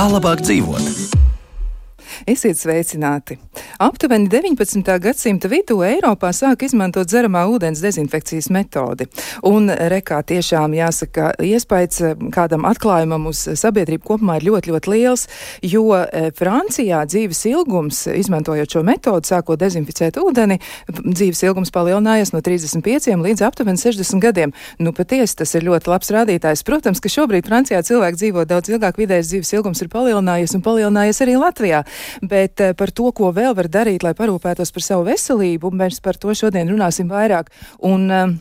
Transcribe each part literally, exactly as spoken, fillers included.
Kā labāk dzīvot? Esiet sveicināti! Aptuveni deviņpadsmitā gadsimta vidū Eiropā sāk izmantot dzeramā ūdens dezinfekcijas metodi. Un rekā tiešām jāsaka, iespējas kādam atklājumam uz sabiedrību kopumā ir ļoti, ļoti liels, jo Francijā dzīves ilgums, izmantojot šo metodu, sākot dezinficēt ūdeni, dzīves ilgums palielinājās no trīsdesmit pieciem līdz aptuveni sešdesmit gadiem. Nu, patiesi, tas ir ļoti labs rādītājs. Protams, ka šobrīd Francijā cilvēki dzīvo daudz ilgāk, vidējais dzīves ilgums ir palielinājies un palielinājies arī Latvijā. Bet par to, ko vēl var darīt, lai parūpētos par savu veselību, mēs par to šodien runāsim vairāk. Un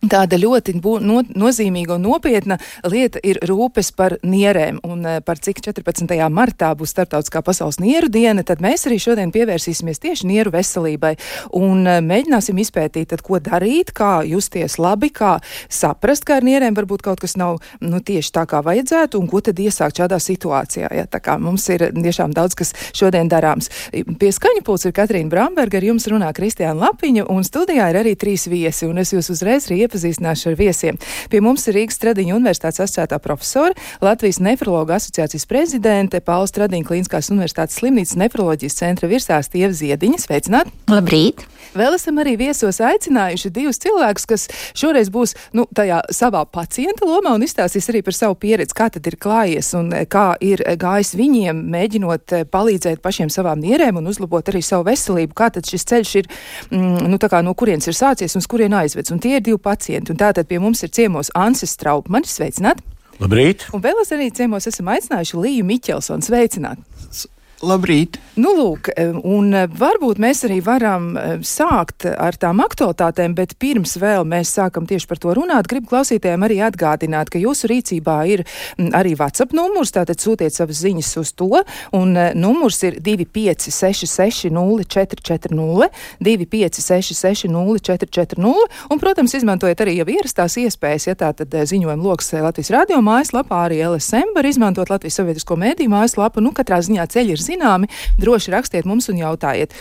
tāda ļoti no, nozīmīga un nopietna lieta ir rūpes par nierēm. Un par cik četrpadsmitajā martā būs Starptautiskā pasaules nieru diena, tad mēs arī šodien pievērsīsimies tieši nieru veselībai. Un mēģināsim izpētīt, tad, ko darīt, kā justies labi, kā saprast, ka ar nierēm varbūt kaut kas nav nu, tieši tā, kā vajadzētu, un ko tad iesākt šādā situācijā. Ja? Tā kā mums ir tiešām daudz, kas šodien darāms. Pie skaņa pults ir Katrīna Bramberga, ar jums runā Kristiāna Lapiņa, un studijā ir arī trīs viesi, un es jūs uzreiz arī iepazīstināšu ar viesiem. Pie mums ir Rīgas Stradiņa Universitātes asociētā profesora, Latvijas nefrologa asociācijas prezidente, Paula Stradiņa Klīniskās universitātes slimnīcas nefroloģijas centra virsārste Ieva Ziediņa. Sveicināt! Labrīt! Vēl esam arī viesos aicinājuši divus cilvēkus, kas šoreiz būs nu, tajā savā pacienta lomā un izstāstīs arī par savu pieredzi, kā tad ir klājies un kā ir gājis viņiem, mēģinot palīdzēt pašiem savām nierēm un uzlabot arī savu veselību, kā tad šis ceļš ir, mm, nu tā kā no kurienes ir sācies un uz kurien aizvedz. Un tie ir divi pacienti. Un tātad pie mums ir ciemos Ansis Straupmanis, sveicināt! Labrīt! Un vēl es arī ciemos esam aicinājuši Līju Miķelsonu, sveicināt! Labrīt! Nu, lūk, un varbūt mēs arī varam sākt ar tām aktualitātēm, bet pirms vēl mēs sākam tieši par to runāt, gribu klausītājiem arī atgādināt, ka jūsu rīcībā ir arī WhatsApp numurs, tātad sūtiet savas ziņas uz to, un numurs ir divi pieci seši seši nulle četri četri nulle, divi pieci seši seši nulle četri četri nulle, un, protams, izmantojiet arī jau ierastās iespējas, ja tā tad ziņojuma loks Latvijas radio mājaslapā, arī L S M var izmantot Latvijas Sabiedrisko mediju mājaslapu, nu, katrā ziņā ceļi ir zināmi, droši rakstiet mums un jautājiet.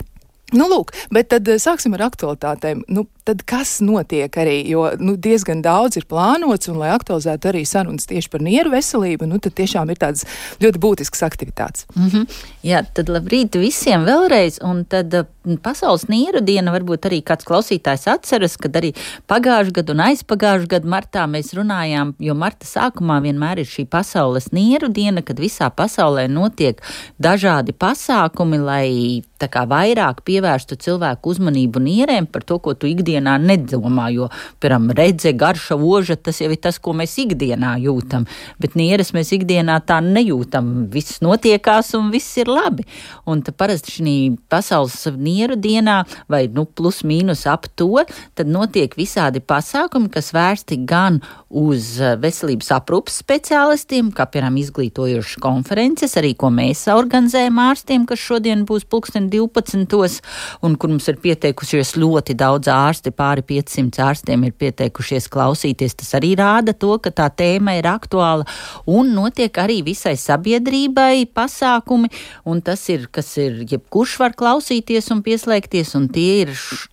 Nu, lūk, bet tad sāksim ar aktualitātēm. Nu, tad kas notiek arī, jo nu, diezgan daudz ir plānots, un lai aktualizētu arī sarunas tieši par nieru veselību, nu, tad tiešām ir tādas ļoti būtiskas aktivitātes. Mm-hmm. Jā, tad labrīt visiem vēlreiz, un tad Pasaules nieru diena varbūt arī kāds klausītājs atceras, kad arī pagājuši gadu un aizpagājuši gadu martā mēs runājām, jo marta sākumā vienmēr ir šī Pasaules nieru diena, kad visā pasaulē notiek dažādi pasākumi, lai tā kā vairāk pievērstu cilvēku uzmanību nierēm par to, ko tu ikdienā nedomā, jo, piemēram, redze, garša, oža, tas jau ir tas, ko mēs ikdienā jūtam, bet nieres mēs ikdienā tā nejūtam, viss notiekās un viss ir labi. Un tā parasti šī Pasaules nieru dienā, vai nu plus mīnus ap to, tad notiek visādi pasākumi, kas vērsti gan uz veselības aprūpas speciālistiem, kā, piemēram, izglītojošas konferences, arī ko mēs organizējam ārstiem, kas šodien būs pulksten divpadsmitos, un kur mums ir pieteikušies ļoti daudz ārsti, pāri piecsimt ārstiem ir pieteikušies klausīties. Tas arī rāda to, ka tā tēma ir aktuāla, un notiek arī visai sabiedrībai pasākumi, un tas ir, kas ir, jebkurš var klausīties un pieslēgties, un tie ir š-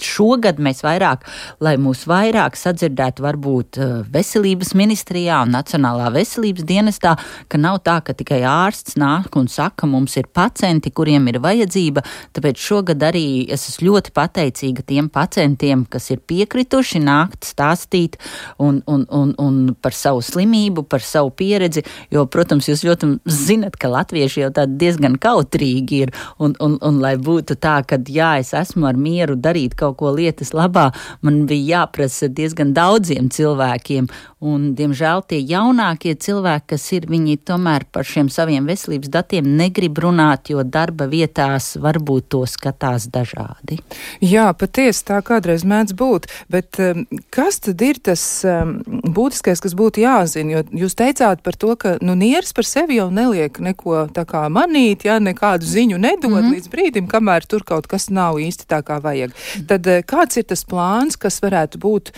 Šogad mēs vairāk, lai mūs vairāk sadzirdētu varbūt veselības ministrijā un Nacionālā veselības dienestā, ka nav tā, ka tikai ārsts nāk un saka, mums ir pacienti, kuriem ir vajadzība, tāpēc šogad arī es esmu ļoti pateicīga tiem pacientiem, kas ir piekrituši nākt stāstīt un, un, un, un par savu slimību, par savu pieredzi, jo, protams, jūs ļoti zinat, ka latvieši jau tādi diezgan kautrīgi ir, un, un, un lai būtu tā, ka jā, es esmu ar mieru darīt kaut ko lietas labā, man bija jāprasa diezgan daudziem cilvēkiem, un, diemžēl, tie jaunākie cilvēki, kas ir, viņi tomēr par šiem saviem veselības datiem negrib runāt, jo darba vietās varbūt to skatās dažādi. Jā, patiesi tā kādreiz mēdz būt, bet um, kas tad ir tas um, būtiskais, kas būtu jāzina, jo jūs teicāt par to, ka, nu, nieres par sevi jau neliek neko tā kā manīt, ja, nekādu ziņu nedod mm-hmm. līdz brīdim, kamēr tur kaut kas nav īsti tā kā vajag. Tad kāds ir tas plāns, kas varētu būt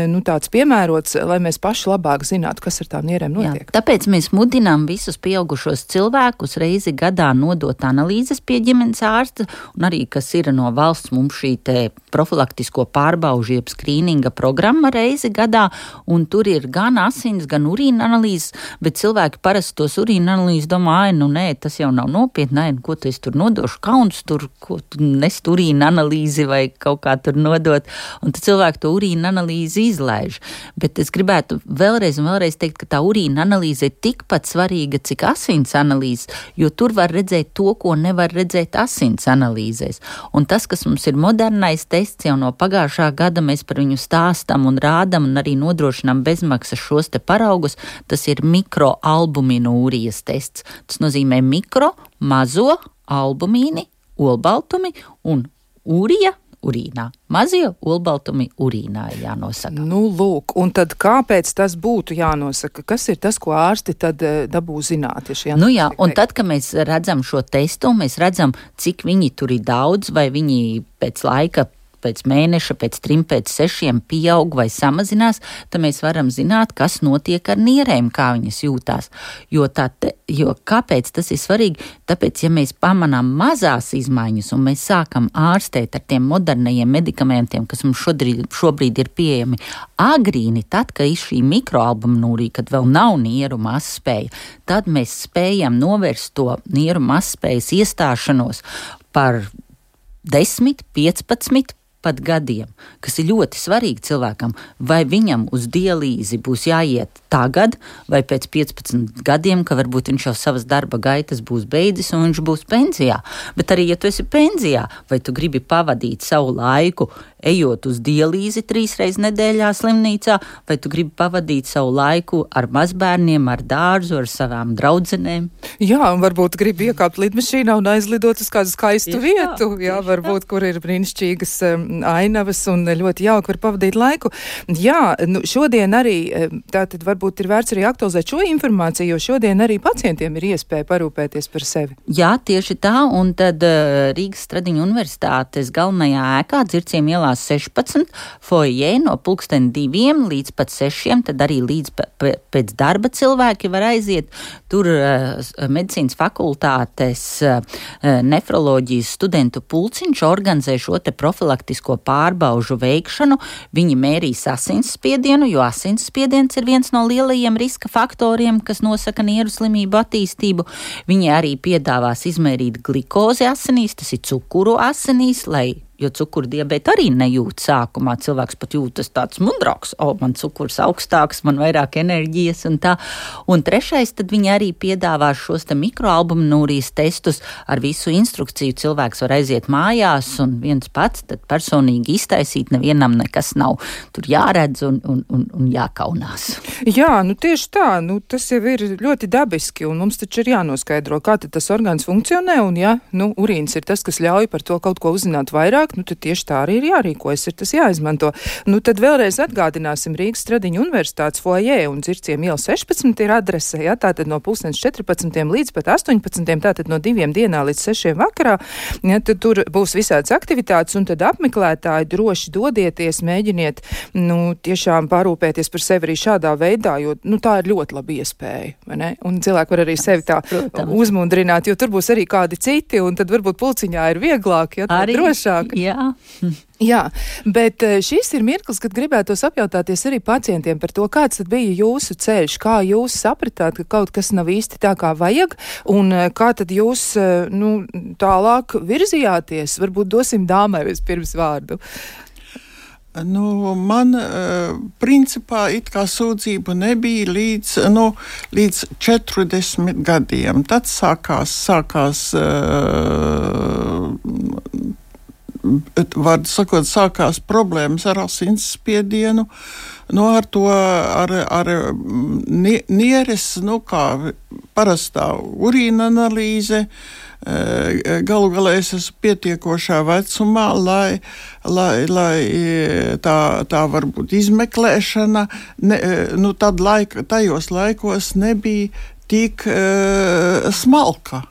nu, tāds piemērots, lai mēs paši paši labāk zinātu, kas ar tām nierēm notiek. Jā, tāpēc mēs mudinām visus pieaugušos cilvēkus reizi gadā nodot analīzes pie ģimenes ārsta, un arī, kas ir no valsts, mums šī te profilaktisko pārbaužu jeb skrīninga programma reizi gadā, un tur ir gan asins, gan urīna analīzes, bet cilvēki parasti tos urīna analīzes domā, ai, nu nē, tas jau nav nopietni, ai, ko tu es tur nodošu, kauns tur, ko tu nest urīna analīzi vai kaut kā tur nodot, un tad cilvēki to urīna analīzi izlaiž. Bet es gribētu vēlreiz un vēlreiz teikt, ka tā urīna analīze ir tikpat svarīga, cik asins analīzes, jo tur var redzēt to, ko nevar redzēt asins analīzēs. Un tas, kas mums ir modernais tests jau no pagājušā gada, mēs par viņu stāstam un rādam un arī nodrošinām bezmaksas šos te paraugus, tas ir mikroalbuminūrijas tests. Tas nozīmē mikro, mazo, albumīni, olbaltumi un urija urīnā. Mazie olbaltumi urīnā ir jānosaka. Nu, lūk, un tad kāpēc tas būtu jānosaka? Kas ir tas, ko ārsti tad dabū zināt? Ja nu jā, un tad, kad mēs redzam šo testu, mēs redzam, cik viņi tur ir daudz, vai viņi pēc laika, pēc mēneša, pēc trim, pēc sešiem pieaug vai samazinās, tad mēs varam zināt, kas notiek ar nierēm, kā viņas jūtās. Jo, tā te, jo kāpēc tas ir svarīgi? Tāpēc, ja mēs pamanām mazās izmaiņas un mēs sākam ārstēt ar tiem modernajiem medikamentiem, kas mums šodrīd, šobrīd ir pieejami agrīni, tad, kad ir šī mikroalbuminūrija, kad vēl nav nieru mazspēja, tad mēs spējam novērst to nieru mazspējas iestāšanos par desmit, piecpadsmit pat gadiem, kas ir ļoti svarīgi cilvēkam, vai viņam uz dialīzi būs jāiet tagad, vai pēc piecpadsmit gadiem, ka varbūt viņš jau savas darba gaitas būs beidzis un viņš būs pensijā. Bet arī, ja tu esi pensijā, vai tu gribi pavadīt savu laiku, ejot uz dialīzi trīs reizes nedēļā slimnīcā, vai tu gribi pavadīt savu laiku ar mazbērniem, ar dārzu, ar savām draudzenēm? Jā, un varbūt gribi iekāpt lidmašīnā un aizlidot uz kādu skaistu jā, vietu, jā, varbūt, kur ir brīnišķīgas um, ainavas un ļoti jauki var pavadīt laiku. Jā, nu, šodien arī, tātad varbūt ir vērts arī aktualizēt šo informāciju, jo šodien arī pacientiem ir iespēja parūpēties par sevi. Jā, tieši tā, un tad uh, Rīgas Stradiņu universitātes galvenajā ēkā, Dzirciem ielā sešpadsmit, foijē no pulksten diviem līdz pat sešiem, tad arī līdz pēc darba cilvēki var aiziet. Tur uh, medicīnas fakultātes uh, nefroloģijas studentu pulciņš organizē šo te profilaktisko pārbaužu veikšanu. Viņi mērīs asinsspiedienu, jo asinsspiediens ir viens no lielajiem riska faktoriem, kas nosaka nieru slimību attīstību. Viņi arī piedāvās izmērīt glikozi asinīs, tas ir cukuru asinīs, lai jo cukurdiabēta arī nejūt sākumā. Cilvēks pat jūtas tāds mudrāks, o, man cukurs augstāks, man vairāk enerģijas un tā. Un trešais, tad viņi arī piedāvā šos te mikroalbuminūrijas testus ar visu instrukciju. Cilvēks var aiziet mājās un viens pats tad personīgi iztaisīt, nevienam nekas nav tur jāredz un, un, un, un jākaunās. Jā, nu tieši tā, nu tas jau ir ļoti dabiski un mums taču ir jānoskaidro, kā tad tas orgāns funkcionē un ja, nu, urīns ir tas, kas ļauj par to kaut ko uzzināt vairāk, nu tad tieši tā arī ir jārīkojas, ir tas jāizmanto. Nu tad vēlreiz atgādināsim Rīgas Stradiņu universitātes foijē un Dzirciem iela sešpadsmit ir adrese, ja, tātad no pulkstens četrpadsmitiem līdz pat astoņpadsmitiem, tātad no diviem dienā līdz sešiem vakarā, ja, tad tur būs visādas aktivitātes un tad apmeklētāji droši dodieties, mēģiniet, nu, tiešām parūpēties par sevi arī šādā veidā, jo, nu, tā ir ļoti laba iespēja, vai ne? Un cilvēki var arī sevi tā Protams. uzmundrināt, jo tur būs arī kādi citi un tad varbūt pulciņā ir vieglāk, ja, tā drošāk. Jā. Jā, bet šis ir mirklis, kad gribētos apjautāties arī pacientiem par to, kāds tad bija jūsu ceļš, kā jūs sapratāt, ka kaut kas nav īsti tā, kā vajag, un kā tad jūs, nu, tālāk virzījāties. Varbūt dosim dāmai vispirms vārdu. Nu, man, principā, it kā sūdzību nebija līdz, nu, līdz četrdesmit gadiem. Tad sākās, sākās, var sakot, sākās problēmas ar asinsspiedienu, nu, ar to, ar, ar nieres, nu, kā parastā urīna analīze. Galu galā es esmu pietiekošā vecumā, lai, lai, lai tā, tā varbūt izmeklēšana, ne, nu tad laika, tajos laikos nebija tik uh, smalka.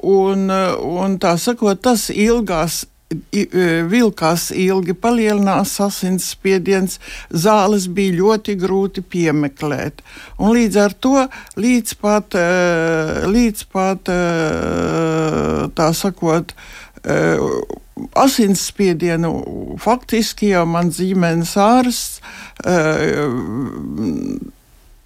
Un, un tā sakot, tas ilgās vilkās ilgi, palielinās asinsspiediens, zāles bija ļoti grūti piemeklēt. Un līdz ar to, līdz pat, līdz pat tā sakot, asinsspiedienu faktiski jau man ģimenes ārsts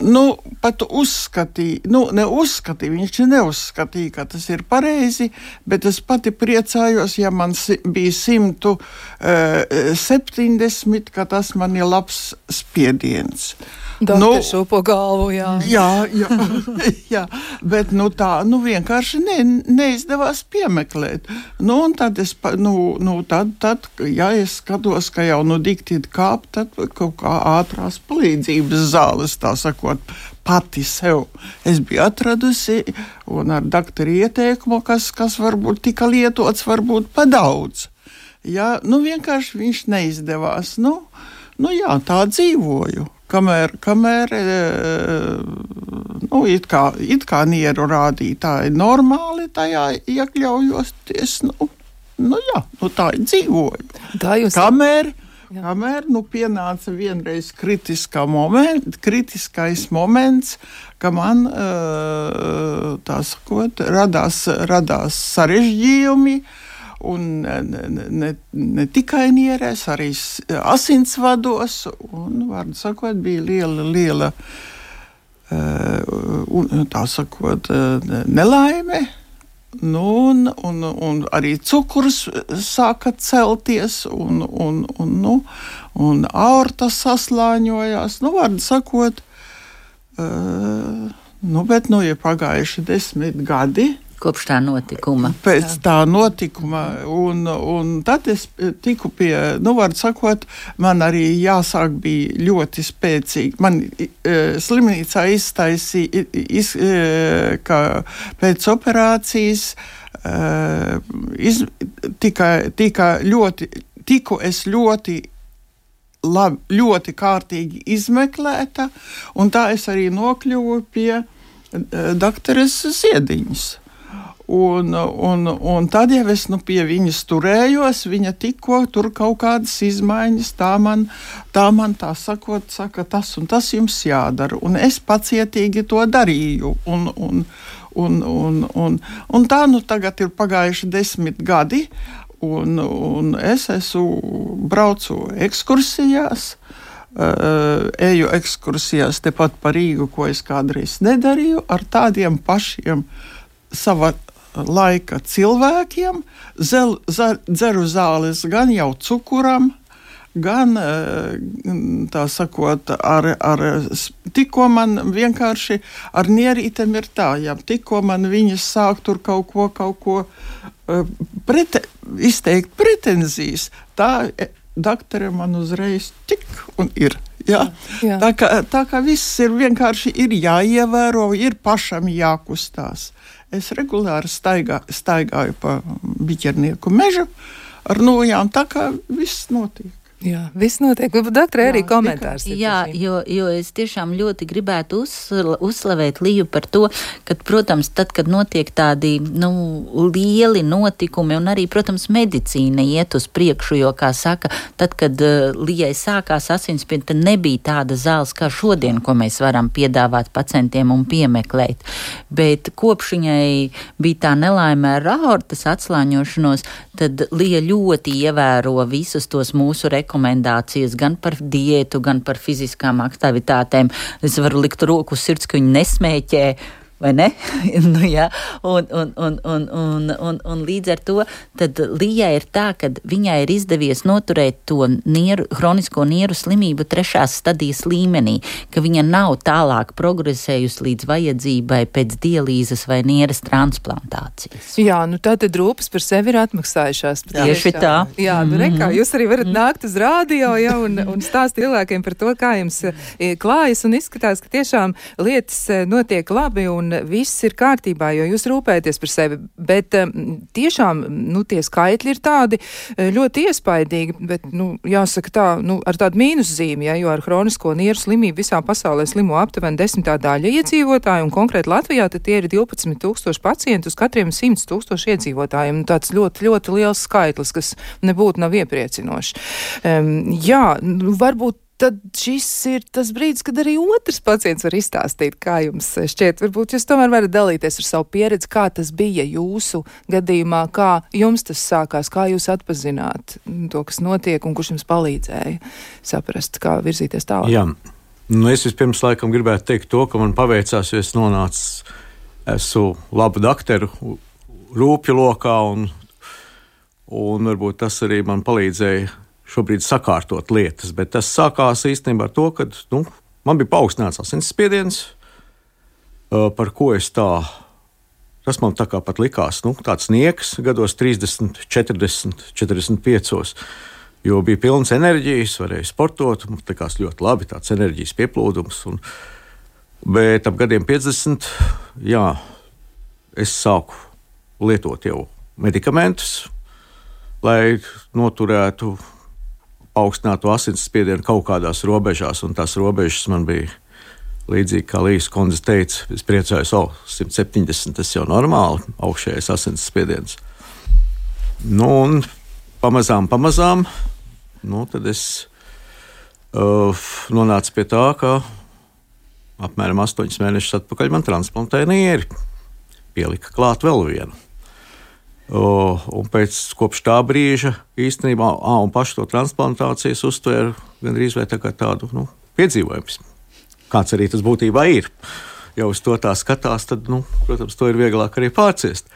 nu, pat uzskatīja, nu, neuzskatīja, viņš neuzskatīja, ka tas ir pareizi, bet es pati priecājos, ja man si- bija simtu septiņdesmit, ka tas man ir labs spiediens. Doktor nu, šūpo galvu, jā. Jā, jā, jā, bet nu tā, nu vienkārši ne, neizdevās piemeklēt. Nu, un tad es, nu, nu tad, tad, ja es skatos, ka jau nu diktīt kāp, tad kaut kā ātrās palīdzības zāles, tā sakot, pati sev. Es biju atradusi, un ar doktoru ieteikumu, kas, kas varbūt tika lietots, varbūt pa daudz. Jā, nu vienkārši viņš neizdevās. Nu, nu jā, tā dzīvoju. Kamēr, kamēr nu, it kā, it kā nieru rādītāji normāli tajā iekļaujosties, nu, nu jā, nu tā ir dzīvoju. Tā jūs... Kamēr, kamēr, nu, pienāca vienreiz kritiskā moment, kritiskais moments, ka man, tā sakot, radās, radās sarežģījumi, un ne, ne, ne tikai nierēs, arī asinsvados, un, vārdu sakot, bija liela, liela, uh, tā sakot, nelaime, nu, un, un, un arī cukurs sāka celties, un, un, un, nu, un aorta saslāņojās, nu, vārdu sakot, uh, nu, bet, nu, ir pagājuši desmit gadi, kopš tā notikuma. Pēc tā notikuma, un, un tad es tiku pie, nu, var sakot, man arī jāsāk bija ļoti spēcīgi. Man e, slimnīcā iztaisīja, iz, e, ka pēc operācijas e, iz, tika, tika ļoti, tiku es ļoti labi, ļoti kārtīgi izmeklēta, un tā es arī nokļuvu pie e, doktoras Ziediņas. Un, un, un tad, ja es nu pie viņas turējos, viņa tikko tur kaut kādas izmaiņas, tā man, tā man tā sakot, saka, tas un tas jums jādara. Un es pacietīgi to darīju. Un, un, un, un, un, un tā nu tagad ir pagājuši desmit gadi, un, un es esmu braucu ekskursijās, uh, eju ekskursijās tepat pa Rīgu, ko es kādreiz nedarīju, ar tādiem pašiem sava laika cilvēkiem, zel, zel, dzeru zāles gan jau cukuram, gan, tā sakot, ar, ar, tikko man vienkārši ar nierītēm ir tā, ja tikko man viņas sāk tur kaut ko, kaut ko prete, izteikt pretenzijas, tā doktore man uzreiz tik un ir. Jā. Jā. Tā, kā, tā kā viss ir vienkārši ir jāievēro, ir pašam jākustās. Es regulāri staigā, staigāju pa biķernieku mežu ar nojām, tā kā viss notiek. Jā, viss notiek. Doktor, arī komentārs. Jā, jo, jo es tiešām ļoti gribētu uzsla, uzslavēt Liju par to, ka, protams, tad, kad notiek tādi, nu, lieli notikumi, un arī, protams, medicīna iet uz priekšu, jo, kā saka, tad, kad uh, Lijai sākās asinsspiediens, tad nebija tāda zāles kā šodien, ko mēs varam piedāvāt pacientiem un piemeklēt. Bet kopš viņai bija tā nelaime ar aortas atslāņošanos, tad Lija ļoti ievēro visus tos mūsu rekomendācijas, rekomendācijas gan par diētu, gan par fiziskām aktivitātēm. Es varu likt roku uz sirds, ka viņi nesmēķē, vai ne? nu, jā. Un, un, un, un, un, un, un līdz ar to tad Lijai ir tā, ka viņai ir izdevies noturēt to nieru, hronisko nieru slimību trešās stadijas līmenī, ka viņa nav tālāk progresējusi līdz vajadzībai pēc dialīzes vai nieres transplantācijas. Jā, nu tātad rūpes par sevi ir atmaksājušās. Tieši tā. Jā, nu mm-hmm. rekā, jūs arī varat nākt uz rādio, ja, un, un stāst cilvēkiem par to, kā jums klājas, un izskatās, ka tiešām lietas notiek labi, un un viss ir kārtībā, jo jūs rūpēties par sevi, bet tiešām, nu, tie skaitļi ir tādi ļoti iespaidīgi, bet, nu, jāsaka tā, nu, ar tādu mīnuszīmi, ja, jo ar hronisko nieru slimību visā pasaulē slimo aptuveni desmitā daļa iedzīvotāju, un konkrēti Latvijā tad tie ir divpadsmit tūkstoši pacientu uz katriem simts tūkstoši iedzīvotājiem. Tāds ļoti, ļoti liels skaitlis, kas nebūtu nav iepriecinoši. Um, jā, nu, varbūt tad šis ir tas brīdis, kad arī otrs pacients var izstāstīt, kā jums šķiet. Varbūt jūs tomēr varat dalīties ar savu pieredzi, kā tas bija jūsu gadījumā, kā jums tas sākās, kā jūs atpazināt to, kas notiek un kurš jums palīdzēja saprast, kā virzīties tālāk. Jā, nu es vispirms laikam gribētu teikt to, ka man paveicās, jo es nonācu, esmu labu dakteru rūpju lokā un, un varbūt tas arī man palīdzēja šobrīd sakārtot lietas, bet tas sākās īstenībā ar to, ka nu, man bija paaugstināts asinsspiediens, par ko es tā, tas man tā kā pat likās, nu, tāds nieks gados trīsdesmit, četrdesmit, četrdesmit piecos, jo bija pilns enerģijas, varēja sportot, man likās ļoti labi, tāds enerģijas pieplūdums, un, bet ap gadiem piecdesmit, jā, es sāku lietot jau medikamentus, lai noturētu augstinātu asinsspiedienu kaut kādās robežās, un tās robežas man bija līdzīgi, kā Līs kundze teica, es priecājos, o, simt septiņdesmit, tas jau normāli, augšējais asinsspiediens. Nu, un pamazām, pamazām, nu, tad es uh, nonācu pie tā, ka apmēram astoņus mēnešus atpakaļ man transplantēja nieri, pielika klāt vēl vienu. Uh, un pēc kopš tā brīža īstenībā, ā, un pašu to transplantācijas uztvēru gandrīz vai tā kā tādu, nu, piedzīvojums. Kāds arī tas būtībā ir. Ja uz to tā skatās, tad, nu, protams, to ir vieglāk arī pārciest.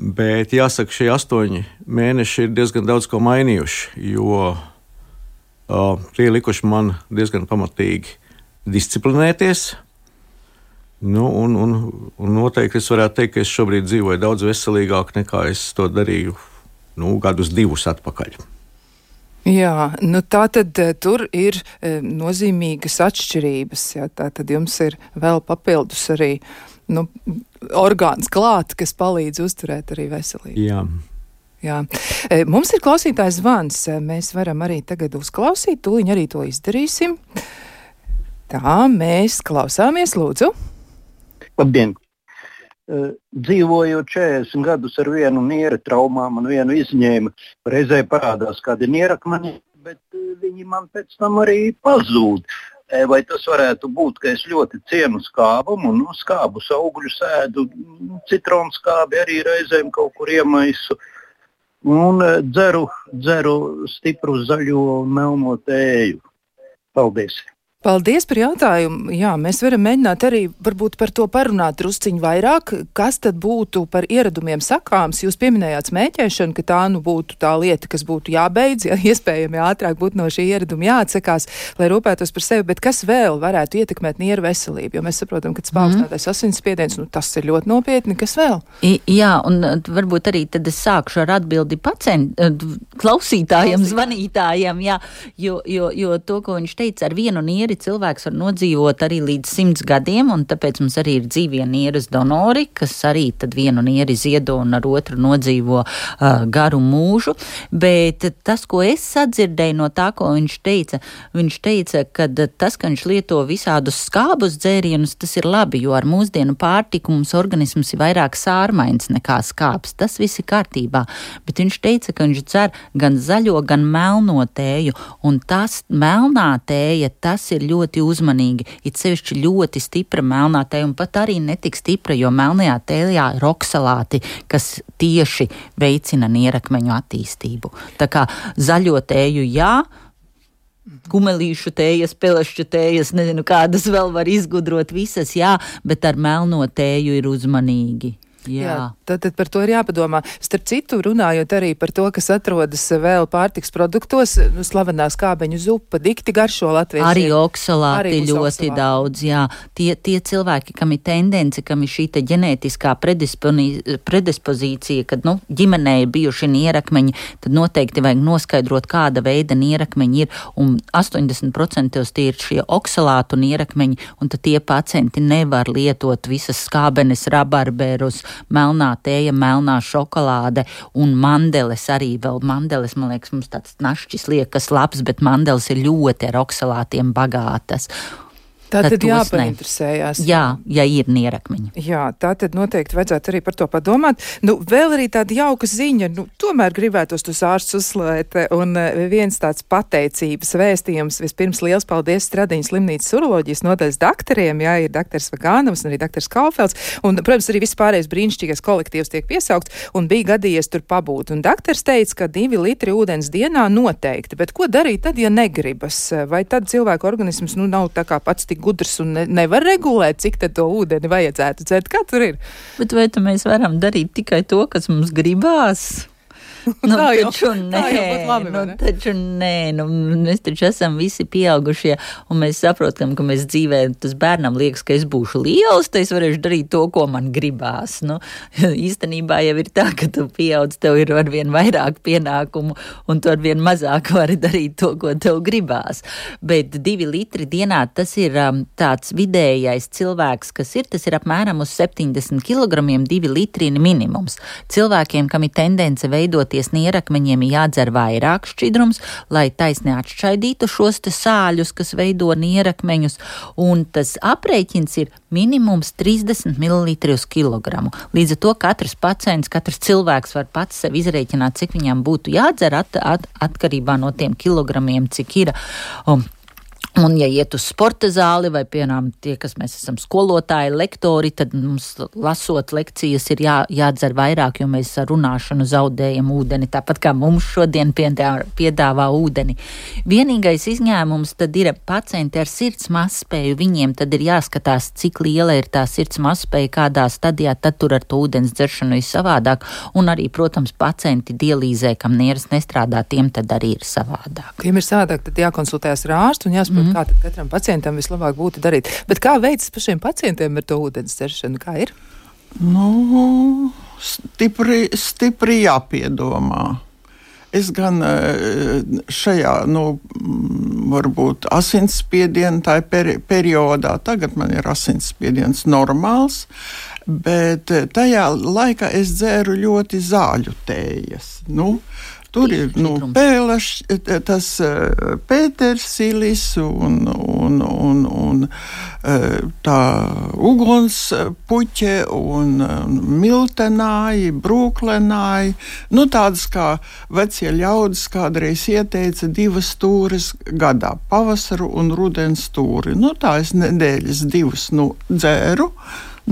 Bet jāsaka, šie astoņi mēneši ir diezgan daudz ko mainījuši, jo uh, tie likuši man diezgan pamatīgi disciplinēties. Nu, un, un, un noteikti es varētu teikt, ka es šobrīd dzīvoju daudz veselīgāk nekā es to darīju nu, gadus divus atpakaļ. Jā, nu tā tad tur ir e, nozīmīgas atšķirības. Jā, tā tad jums ir vēl papildus arī nu, orgāns klāt, kas palīdz uzturēt arī veselību. Jā. Jā. E, mums ir klausītājs zvans. Mēs varam arī tagad uzklausīt, tūliņ arī to izdarīsim. Tā, mēs klausāmies, lūdzu. Labdien! Uh, dzīvojot četrdesmit gadus ar vienu niera traumām un vienu izņēmu, reizē parādās kādi nierakmeņi, bet uh, viņi man pēc tam arī pazūd. E, vai tas varētu būt, ka es ļoti cienu skābumu, nu, skābus augļus ēdu, citronu skābi arī reizēm kaut kur iemaisu un uh, dzeru, dzeru stipru zaļo un melno tēju. Paldies! Paldies par jautājumu. Jā, mēs varam mēģināt arī varbūt par to parunāt drusciņu vairāk. Kas tad būtu par ieradumiem sakāms? Jūs pieminējāt smēķēšanu, ka tā nu būtu tā lieta, kas būtu jābeidz, ja iespējami ātrāk būtu no šī ieraduma jāatsakās, lai rūpētos par sevi, bet kas vēl varētu ietekmēt nieru veselību? Jo mēs saprotam, ka tas paaugstinātais mm. asinsspiediens, nu tas ir ļoti nopietni. Kas vēl? I, jā, un varbūt arī tad es sākšu ar atbildi pacientu, klausītājiem, zvanītājiem, jā, jo, jo, jo to, ko viņš teica, ar vienu nieri cilvēks var nodzīvot arī līdz simts gadiem, un tāpēc mums arī ir dzīvie nieres donori, kas arī tad vienu nieri ziedo un ar otru nodzīvo uh, garu mūžu. Bet tas, ko es sadzirdēju no tā, ko viņš teica, viņš teica, ka tas, ka viņš lieto visādus skābus dzērienus, tas ir labi, jo ar mūsdienu pārtiku mums organisms ir vairāk sārmains nekā skābs. Tas viss ir kārtībā. Bet viņš teica, ka viņš dzer gan zaļo, gan melno tēju, un tas melnā tēja, tas ir ļoti uzmanīgi, it sevišķi ļoti stipra melnā tēja un pat arī netik stipra, jo melnajā tējā ir oksalāti, kas tieši veicina nierakmeņu attīstību. Tā kā zaļo tēju jā, kumelīšu tējas, pelešķu tējas, nezinu, kādas vēl var izgudrot visas, jā, bet ar melno tēju ir uzmanīgi. Jā. Jā, tad, tad par to ir jāpadomā. Starp citu, runājot arī par to, kas atrodas vēl pārtiks produktos, nu, slavenā skābeņu zupa, dikti garšo latvieši. Arī oksalāti arī ļoti oksalāti. daudz, jā. Tie, tie cilvēki, kam ir tendence, kam ir šī te ģenētiskā predispozīcija, kad, nu, ģimenē ir bijuši nierakmeņi, tad noteikti vajag noskaidrot, kāda veida nierakmeņi ir, un astoņdesmit procenti tie ir šie oksalātu nierakmeņi, un tad tie pacienti nevar lietot visas skābenes, rabarberus, melnā tēja, melnā šokolāde un mandeles arī vēl. Mandeles, man liekas, mums tāds našķis liekas labs, bet mandeles ir ļoti ar oksalātiem bagātas. Tā tad tos ne. jāpainteresējās. Jā, ja ir nierakmeņi. Jā, tā tad noteikti vajadzētu arī par to padomāt. Nu, vēl arī tāda jauka ziņa, nu, tomēr gribētos tos ārstus uzslavēt, un viens tāds pateicības vēstījums. Vispirms liels paldies Stradiņas slimnīcas uroloģijas nodaļas daktariem, jā, ir daktars Vagānovs un arī daktars Kaufelds, un, protams, arī viss pārējais brīnišķīgais kolektīvs tiek piesaukts, un bija gadījies tur pabūt. Un daktars teica, ka divi litri ūdens dienā noteikti, bet ko darīt tad, ja negribas? Vai tad cilvēku organisms, nu, nav tā kā pats tik gudrs un ne, nevar regulēt, cik tad to ūdeni vajadzētu dzert? Kā tur ir? Bet vai tu mēs varam darīt tikai to, kas mums gribās? Nu, tā jau, taču nē, tā jau būtu labi, nu, ne? taču nē, nu, mēs taču esam visi pieaugušie, un mēs saprotam, ka mēs dzīvē, tas bērnam liekas, ka es būšu liels, tad es varēšu darīt to, ko man gribās. Nu, īstenībā jau ir tā, ka tu pieaudz, tev ir arvien vairāk pienākumu, un tu arvien mazāk vari darīt to, ko tev gribās. Bet divi litri dienā, tas ir um, tāds vidējais cilvēks, kas ir, tas ir apmēram uz septiņdesmit kilogramiem, divi litri minimums. Cilvēkiem, kam ir tendence veidot nierakmeņiem, ir jādzer vairāk šķidrums, lai taisni atšķaidītu šos te sāļus, kas veido nierakmeņus, un tas aprēķins ir minimums trīsdesmit mililitri uz kilogramu. Līdz ar to katrs pacients, katrs cilvēks var pats sev izrēķināt, cik viņam būtu jādzer at, at, atkarībā no tiem kilogramiem, cik ir. Um, Un, ja iet uz sporta zāli vai, piemēram, tie, kas mēs esam skolotāji, lektori, tad mums lasot lekcijas ir jā, jādzer vairāk, jo mēs ar runāšanu zaudējam ūdeni, tāpat kā mums šodien piedāvā, piedāvā ūdeni. Vienīgais izņēmums tad ir pacienti ar sirds mazspēju, viņiem tad ir jāskatās, cik liela ir tā sirds mazspēja, kādā stadijā, tad tur ar to ūdens dzeršanu ir savādāk, un arī, protams, pacienti dialīzē, kam nieras nestrādā, tiem tad arī ir savādāk. Tiem ir savādāk, tad jākonsultējas ar ārstu un jāsaprot, mm-hmm. kā tad katram pacientam vislabāk būtu darīt. Bet kā veicas pašiem pacientiem ar to ūdens dzeršanu? Kā ir? Nu, stipri, stipri jāpiedomā. Es gan šajā, nu, varbūt asinsspiediena tā peri- periodā, tagad man ir asinsspiediens normāls, bet tajā laikā es dzēru ļoti zāļu tējas. Nu, tur ir nu, pēlaš, tas pētersilis un, un, un, un tā ugunspuķe un miltenāji, brūklenāji. Nu, tādas kā vecie ļaudis kādreiz ieteica divas stūres gadā, pavasaru un rudens stūri. Nu, tā es nedēļas divas nu, dzēru.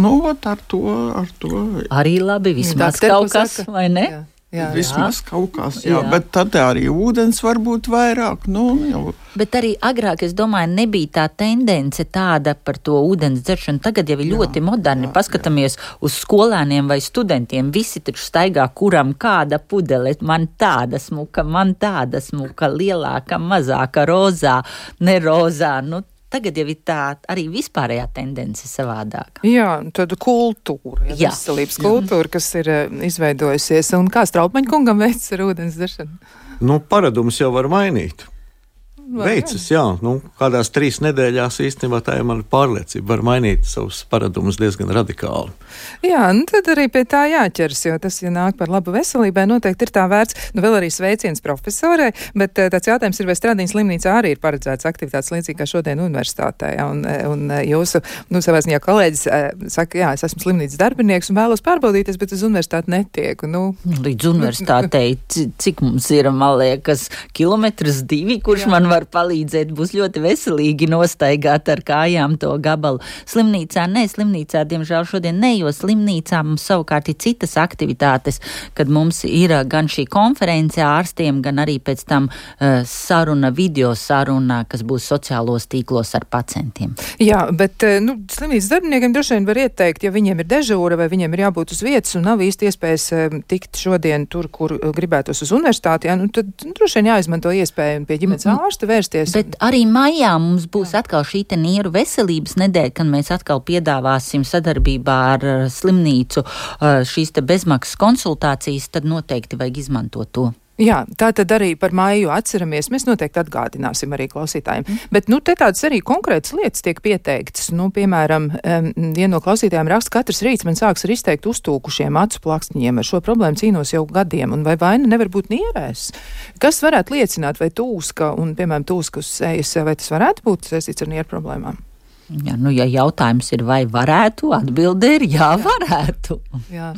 Nu, ar to, ar to. Arī labi, vismaz Jā, kaut kas, saka. vai ne? Jā. Jā, Vismaz jā. kaut kas, jā, Jā. bet tad arī ūdens var būt vairāk. Nu, jau. Bet arī agrāk, es domāju, nebija tā tendence tāda par to ūdens dzeršanu. Tagad jau ir Jā, ļoti moderni. jā, Paskatāmies jā. uz skolēniem vai studentiem. Visi taču staigā, kuram kāda pudele. Man tāda smuka, man tāda smuka, lielāka, mazāka, rozā, ne rozā. Nu, tagad jau ir tā arī vispārējā tendence savādāk. Jā, tāda kultūra, ja, Jā. veselības kultūra, kas ir uh, izveidojusies. Un kā Strautmaņa kungam veicas ar ūdens dzeršanu? Nu, paradumus jau var mainīt. Veicas, jā. Nu, kādās trīs nedēļās īstenībā tā ir mana pārliecība. Var mainīt savus paradumus diezgan radikāli. Jā, nu tad arī pie tā jāķers, jo tas, ja nāk par labu veselībai, noteikti ir tā vērts. Nu, vēl arī sveiciens profesorai, bet tāds jautājums ir, vai Stradiņas slimnīcā arī ir paredzēts aktivitātes līdzīgi kā šodien universitātē. Un, un jūsu, nu, savā ziņā kolēģis saka, jā, es esmu slimnīcas darbinieks un vēlos pārbaudīties, bet uz universitāti netieku. Nu. Līdz universitātei, cik mums ir, man liekas, kilometrs divi, kurš jā. man var var palīdzēt, būs ļoti veselīgi nostaigāt ar kājām to gabalu. Slimnīcā, ne, slimnīcā, diemžēl šodien ne, jo slimnīcā mums savukārt ir citas aktivitātes, kad mums ir gan šī konference ārstiem, gan arī pēc tam uh, saruna, video saruna, kas būs sociālos tīklos ar pacientiem. Jā, bet, nu, slimnīcas darbiniekiem droši vien var ieteikt, ja viņiem ir dežūra vai viņiem ir jābūt uz vietas un nav īsti iespējas tikt šodien tur, kur gribētos uz universitāti, jā, nu, tad droši vien jāizmanto iespēju pie ģimenes ārsta vērsties. Bet arī maijā mums būs jā. atkal šī te nieru veselības nedēļa, kad mēs atkal piedāvāsim sadarbībā ar slimnīcu šīs te bezmaksas konsultācijas, tad noteikti vajag izmantot to. Jā, tā tad arī par maiju atceramies, mēs noteikti atgādināsim arī klausītājiem. Mm. Bet, nu, te tādas arī konkrētas lietas tiek pieteiktas. Nu, piemēram, um, viena no klausītājiem raksta, katrs rīts man sāks ar izteikt uztūkušiem acu plakstiņiem. Ar šo problēmu cīnos jau gadiem, un vai vaina nevar būt nierēs? Kas varētu liecināt, vai tūska, un, piemēram, tūska uz sejas, vai tas varētu būt saistīts ar nieru problēmām? Jā, nu, ja jautājums ir, vai varētu, atbilde ir jā, varētu. Jā,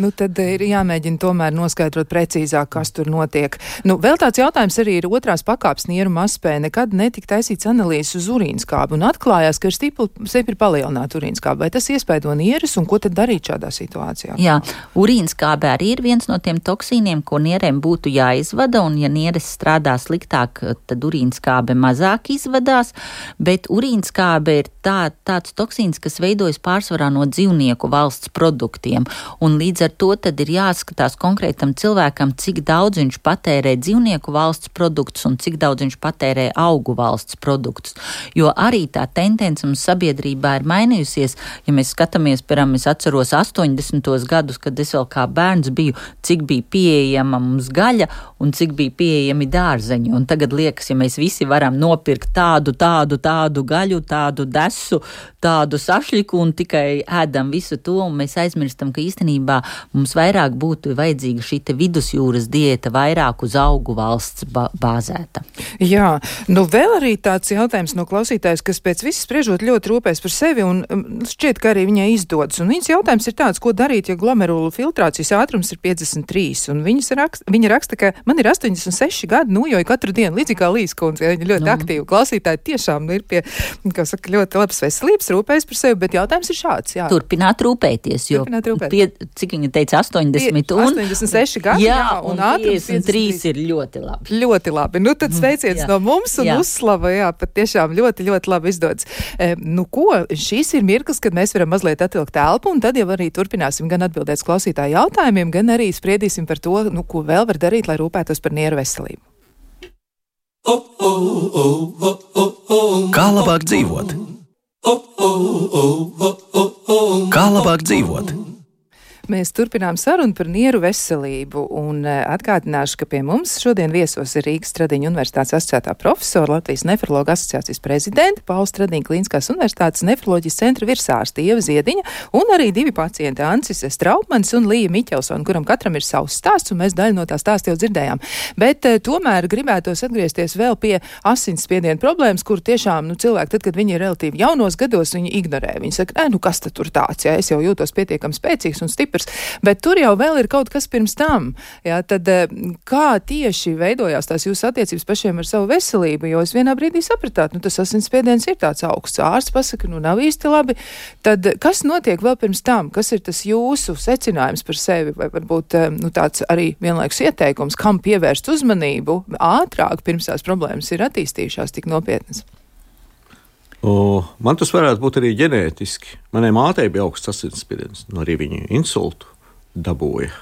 nu tad ir jāmēģina tomēr noskaidrot precīzāk, kas tur notiek. Nu, vēl tāds jautājums arī ir otrās pakāpes nieru mazspēja. Nekad netika taisīts analīzes uz urīnskābi un atklājās, ka ir stipri palielināta urīnskābe. Vai tas iespaido nieres un ko tad darīt šādā situācijā? Jā, urīnskābe arī ir viens no tiem toksīniem, ko nierēm būtu jāizvada, un ja nieres strādā sliktāk, tad urīnskābe mazāk izvadās, bet urīnskābe ir Tā, tāds toksīns, kas veidojas pārsvarā no dzīvnieku valsts produktiem, un līdz ar to tad ir jāskatās konkrētam cilvēkam, cik daudz viņš patērē dzīvnieku valsts produktus un cik daudz viņš patērē augu valsts produktus, jo arī tā tendence mums sabiedrībā ir mainījusies. Ja mēs skatāmies, piemēram, es atceros astoņdesmitos gadus, kad es vēl kā bērns biju, cik bija pieejama mums gaļa un cik bija pieejami dārzeņi, un tagad liekas, ja mēs visi varam nopirkt tādu, tādu, tādu gaļu, tādu desu, tādu sašļiku un tikai ēdam visu to, un mēs aizmirstam, ka īstenībā mums vairāk būtu vajadzīga šī te vidusjūras diēta, vairāk uz augu valsts bāzēta. Jā, nu vēl arī tāds jautājums no klausītājs, kas pēc visas spriežot ļoti rūpēs par sevi, un šķiet, ka arī viņai izdodas. Un viņas jautājums ir tāds, ko darīt, ja glomerulu filtrācijas ātrums ir piecdesmit trīs, un viņas raksta, viņa raksta, ka man ir astoņdesmit seši gadi, nu, jo katru dienu, līdzīgi kā Līskundze, ja viņa ļoti nu. aktīva klausītāji, tiešām ir pie, kā saka, ļoti labas veselības, rūpējas par sevi, bet jautājums ir šāds. Jā. Turpināt rūpēties, jo, Turpināt rūpēt. pie, cik viņa teica, astoņdesmit un astoņdesmit seši gadi, jā, jā, un, un piecdesmit trīs ir ļoti labi. Ļoti labi. Nu, tad sveiciens no mums un jā. uzslava, jā, pat tiešām ļoti, ļoti labi izdodas. E, nu, ko, šīs ir mirklis, kad mēs varam mazliet atvilkt telpu, un tad jau arī turpināsim gan atbildēt klausītāju jautājumiem, gan arī spriedīsim par to, nu, ko vēl var darīt, lai rūpētos par nieru veselību. Kā labāk dzīvot? Kā labāk dzīvot? Mēs turpinām sarunu par nieru veselību, un atgādināšu, ka pie mums šodien viesos ir Rīgas Stradiņa Universitātes asociētā profesora, Latvijas nefrologa asociācijas prezidenta, Paula Stradiņa Klīniskās Universitātes nefroloģijas centra virsārste Ieva Ziediņa, un arī divi pacienti Ancis Straupmanis un Līja Miķelsona, kuram katram ir savs stāsts, un mēs daļu no tā stāsta jau dzirdējām. Bet tomēr gribētos atgriezties vēl pie asinsspiediena problēmas, kur tiešām, nu, cilvēki, tad, kad viņi ir relatīvi jaunos gados, viņi ignorē. Viņi saka, nē, nu, kas tad tur tāds, ja es jau jūtos pietiekami spēcīgs un stiprs. Bet tur jau vēl ir kaut kas pirms tam. Jā, tad kā tieši veidojās tās jūsu attiecības pašiem ar savu veselību? Jo es vienā brīdī sapratāt, nu tas asinsspiediens ir tāds augsts. Ārsts pasaka, nu nav īsti labi. Tad kas notiek vēl pirms tam? Kas ir tas jūsu secinājums par sevi? Vai varbūt nu, tāds arī vienlaikus ieteikums, kam pievērst uzmanību ātrāk pirms tās problēmas ir attīstījušās tik nopietnas? O, man tas varētu būt arī ģenētiski. Manai mātei bija augsts asinsspiediens, un arī viņa insultu dabūja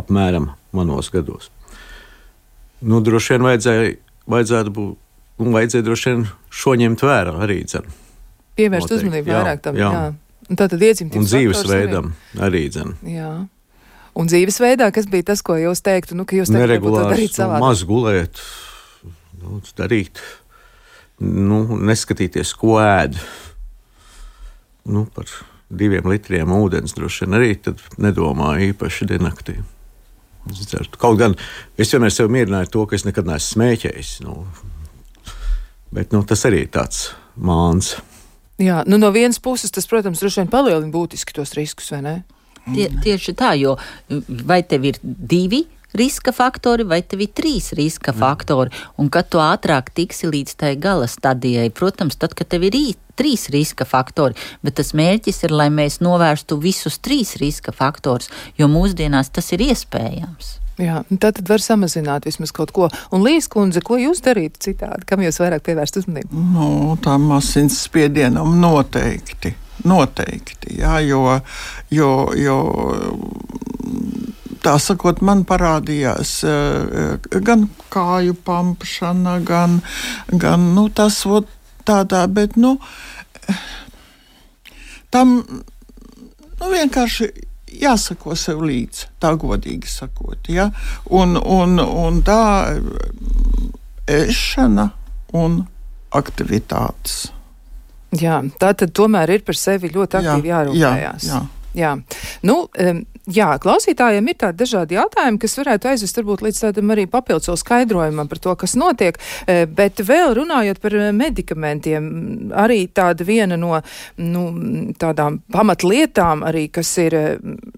apmēram manos gados. Nu, droši vien vajadzēja, vajadzētu būt, un vajadzēja droši vien šo ņemt vērā arī dzen. Pievērst Noteikti, uzmanību vairāk tam, jā. jā. Un tātad iedzimtības un dzīvesveidam arī dzen. Jā. Un dzīvesveidā, kas bija tas, ko jūs teiktu, nu, ka jūs tagad nebūtu darīt savādāk? Maz gulēt, nu, darīt. Nu, neskatīties, ko ēd. Nu, par diviem litriem ūdens droši vien arī tad nedomāju īpaši diennaktī. Kaut gan es vienmēr sev mierināju to, ka es nekad neesmu smēķējis. Nu, bet nu, tas arī ir tāds māns. Jā, nu no vienas puses tas, protams, droši vien palielina būtiski tos riskus, vai ne? Tie, tieši tā, jo vai tev ir divi riska faktori vai tev ir trīs riska faktori, un kad tu ātrāk tiksi līdz tai gala stadijai, protams, tad, kad tev ir rīt, trīs riska faktori, bet tas mērķis ir, lai mēs novērstu visus trīs riska faktorus, jo mūsdienās tas ir iespējams. Jā, tā tad var samazināt vismaz kaut ko. Un Līs kundze, ko jūs darītu citādi? Kam jūs vairāk pievērst uzmanību? Nu, tām asins spiedienam noteikti. Noteikti, jā, jo, jo, jo tā sakot, man parādījās gan kāju pampšana, gan, gan nu, tas ot, tādā, bet, nu, tam, nu, vienkārši jāsako sev līdzi, tā godīgi sakot, ja, un, un, un tā ēšana un aktivitātes. Jā, tā tad tomēr ir par sevi ļoti aktīvi jā, jārūpējās. Jā, jā. Jā. Nu, um, jā, klausītājiem ir tādi dažādi jautājumi, kas varētu aizvest varbūt līdz tādam arī papildus skaidrojumam par to, kas notiek, bet vēl runājot par medikamentiem, arī tāda viena no nu, tādām pamatlietām arī, kas ir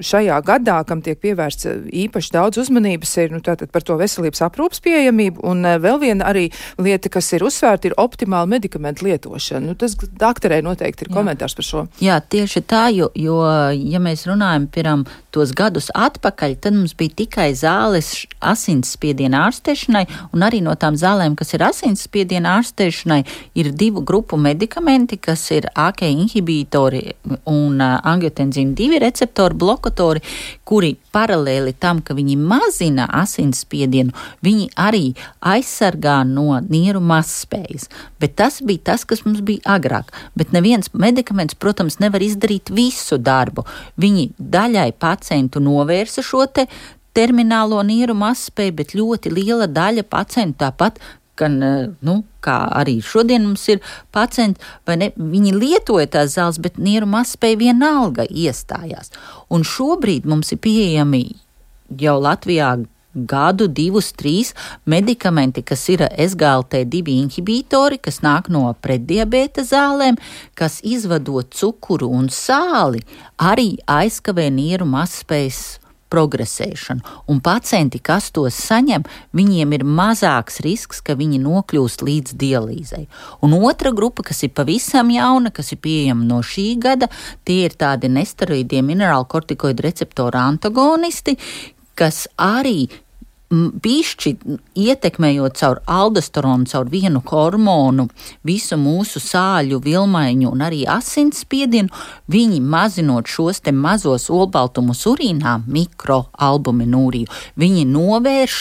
šajā gadā, kam tiek pievērsts īpaši daudz uzmanības, ir nu, tātad par to veselības aprūpas pieejamību, un vēl viena arī lieta, kas ir uzsvērta, ir optimāla medikamentu lietošana. Nu, tas dakterei noteikti ir jā. Komentārs par šo. Jā, tieši tā, jo, jo ja mēs runājam piram tos gadus atpakaļ, tad mums bija tikai zāles asinsspiediena ārstēšanai, un arī no tām zālēm, kas ir asinsspiediena ārstēšanai, ir divu grupu medikamenti, kas ir A K I inhibitori un uh, angiotenzīna divi receptori blokatori, kuri paralēli tam, ka viņi mazina asinsspiedienu, viņi arī aizsargā no nieru mazspējas. Bet tas bija tas, kas mums bija agrāk. Bet neviens medikaments, protams, nevar izdarīt visu darbu. Viņi daļai pacientu novērsa šo te terminālo nieru mazspēju, bet ļoti liela daļa pacientu tāpat, gan, nu, kā arī šodien mums ir pacienti, vai ne, viņi lietoja tās zāles, bet nieru mazspēja vienalga iestājās. Un šobrīd mums ir pieejami jau Latvijā gadu, divus, trīs medikamenti, kas ir S G L T divi inhibitori, kas nāk no pretdiabēta zālēm, kas izvadot cukuru un sāli, arī aizkavē nieru mazspējas progresēšanu. Un pacienti, kas tos saņem, viņiem ir mazāks risks, ka viņi nokļūst līdz dialīzei. Un otra grupa, kas ir pavisam jauna, kas ir pieejama no šī gada, tie ir tādi nesteroīdie minerālkortikoidu receptoru antagonisti, kas arī bišķi ietekmējot caur aldosteronu, caur vienu hormonu, visu mūsu sāļu vilmaiņu un arī asinsspiedienu, viņi mazinot šos te mazos olbaltumus urīnā, mikroalbuminūriju, viņi novērš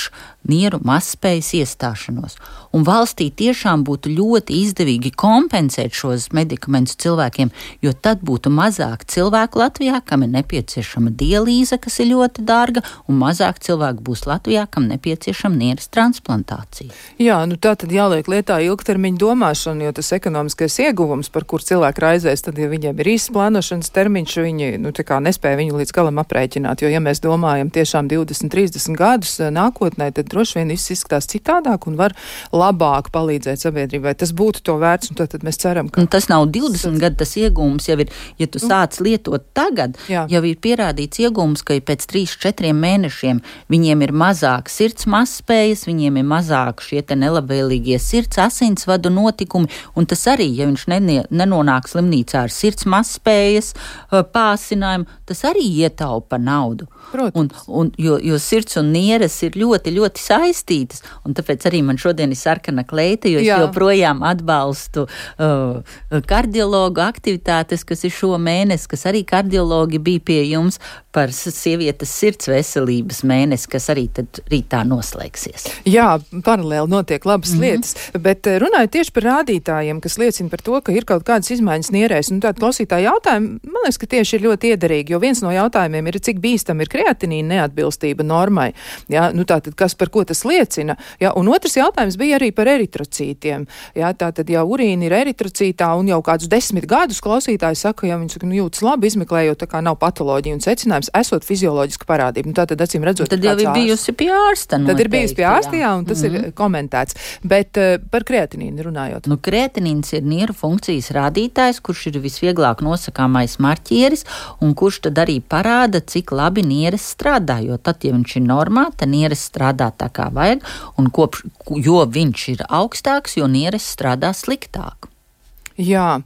nieru mazspējas iestāšanos. Un valstī tiešām būtu ļoti izdevīgi kompensēt šos medikamentus cilvēkiem, jo tad būtu mazāk cilvēku Latvijā, kam ir nepieciešama dialīze, kas ir ļoti dārga, un mazāk cilvēku būs Latvijā, kam nepieciešama nieres transplantācija. Jā, nu tā tad jāliek lietā ilgtermiņa domāšana, jo tas ekonomiskais ieguvums, par kur cilvēki raizēs, tad, ja viņiem ir īsts plānošanas termiņš, viņi, nu, tā kā nespēja viņu līdz galam aprēķināt, jo, ja mēs domājam tiešām divdesmit, trīsdesmit gadus nākotnē, tad droši vien viss izskatās citādāk un var labāk palīdzēt sabiedrībai. Tas būtu to vērts, un tad, tad mēs ceram, ka... Un tas nav divdesmit gadu, tas iegūms jau ir, ja tu sāc lietot tagad, jā. Jau ir pierādīts iegūms, ka pēc trīs četriem mēnešiem viņiem ir mazāk sirds mazspējas, viņiem ir mazāk šie te nelabvēlīgie sirds asinsvadu notikumi, un tas arī, ja viņš nenie, nenonāk slimnīcā ar sirds mazspējas pāsinājumu, tas arī ietaupa naudu. Un, un, jo, jo sirds un nieres ir ļoti, ļoti saistītas, un tāpēc arī man šodien ir sarkana kleita, jo es Jā. joprojām atbalstu uh, kardiologu aktivitātes, kas ir šo mēnesi, kas arī kardiologi bija pie jums par sievietes sirds veselības mēnesi, kas arī tad rītā noslēgsies. Jā, paralēli notiek labas mm-hmm. lietas, bet runājot tieši par rādītājiem, kas liecina par to, ka ir kaut kādas izmaiņas nierēs, un tāda klausītāja jautājumi, man liekas, ka tieši ir ļoti iederīgi, jo viens no jautājumiem ir, cik bīstam ir kreatinīna neatbilstība normai. Jā, nu tātad, kas par par ko tas liecina. Jā, un otrs jautājums bija arī par eritrocītiem. Jā, tātad, ja urīna ir eritrocītā un jau kādus desmit gadus klausītāji saka, ja viņi saka, nu, jūtas labi, izmeklējot, tā kā nav patoloģija un secinājums, esot fizioloģiska parādība. Nu, tātad, acīm redzot, tad jau ir bijusi pie ārsta. Tad noteikti, ir bijusi pie ārsta, jā, un tas mm-hmm. ir komentēts. Bet uh, par kreatinīnu runājot. Nu, kreatinīns ir nieru funkcijas rādītājs, kurš ir visvieglāk nosakāmais marķieris, un kurš tad arī parāda, cik labi nieres strādā, jo tad, ja viņš ir normā, tad nieres strādā tā kā vajag, un kopš, jo viņš ir augstāks, jo nieres strādā sliktāk. Jā,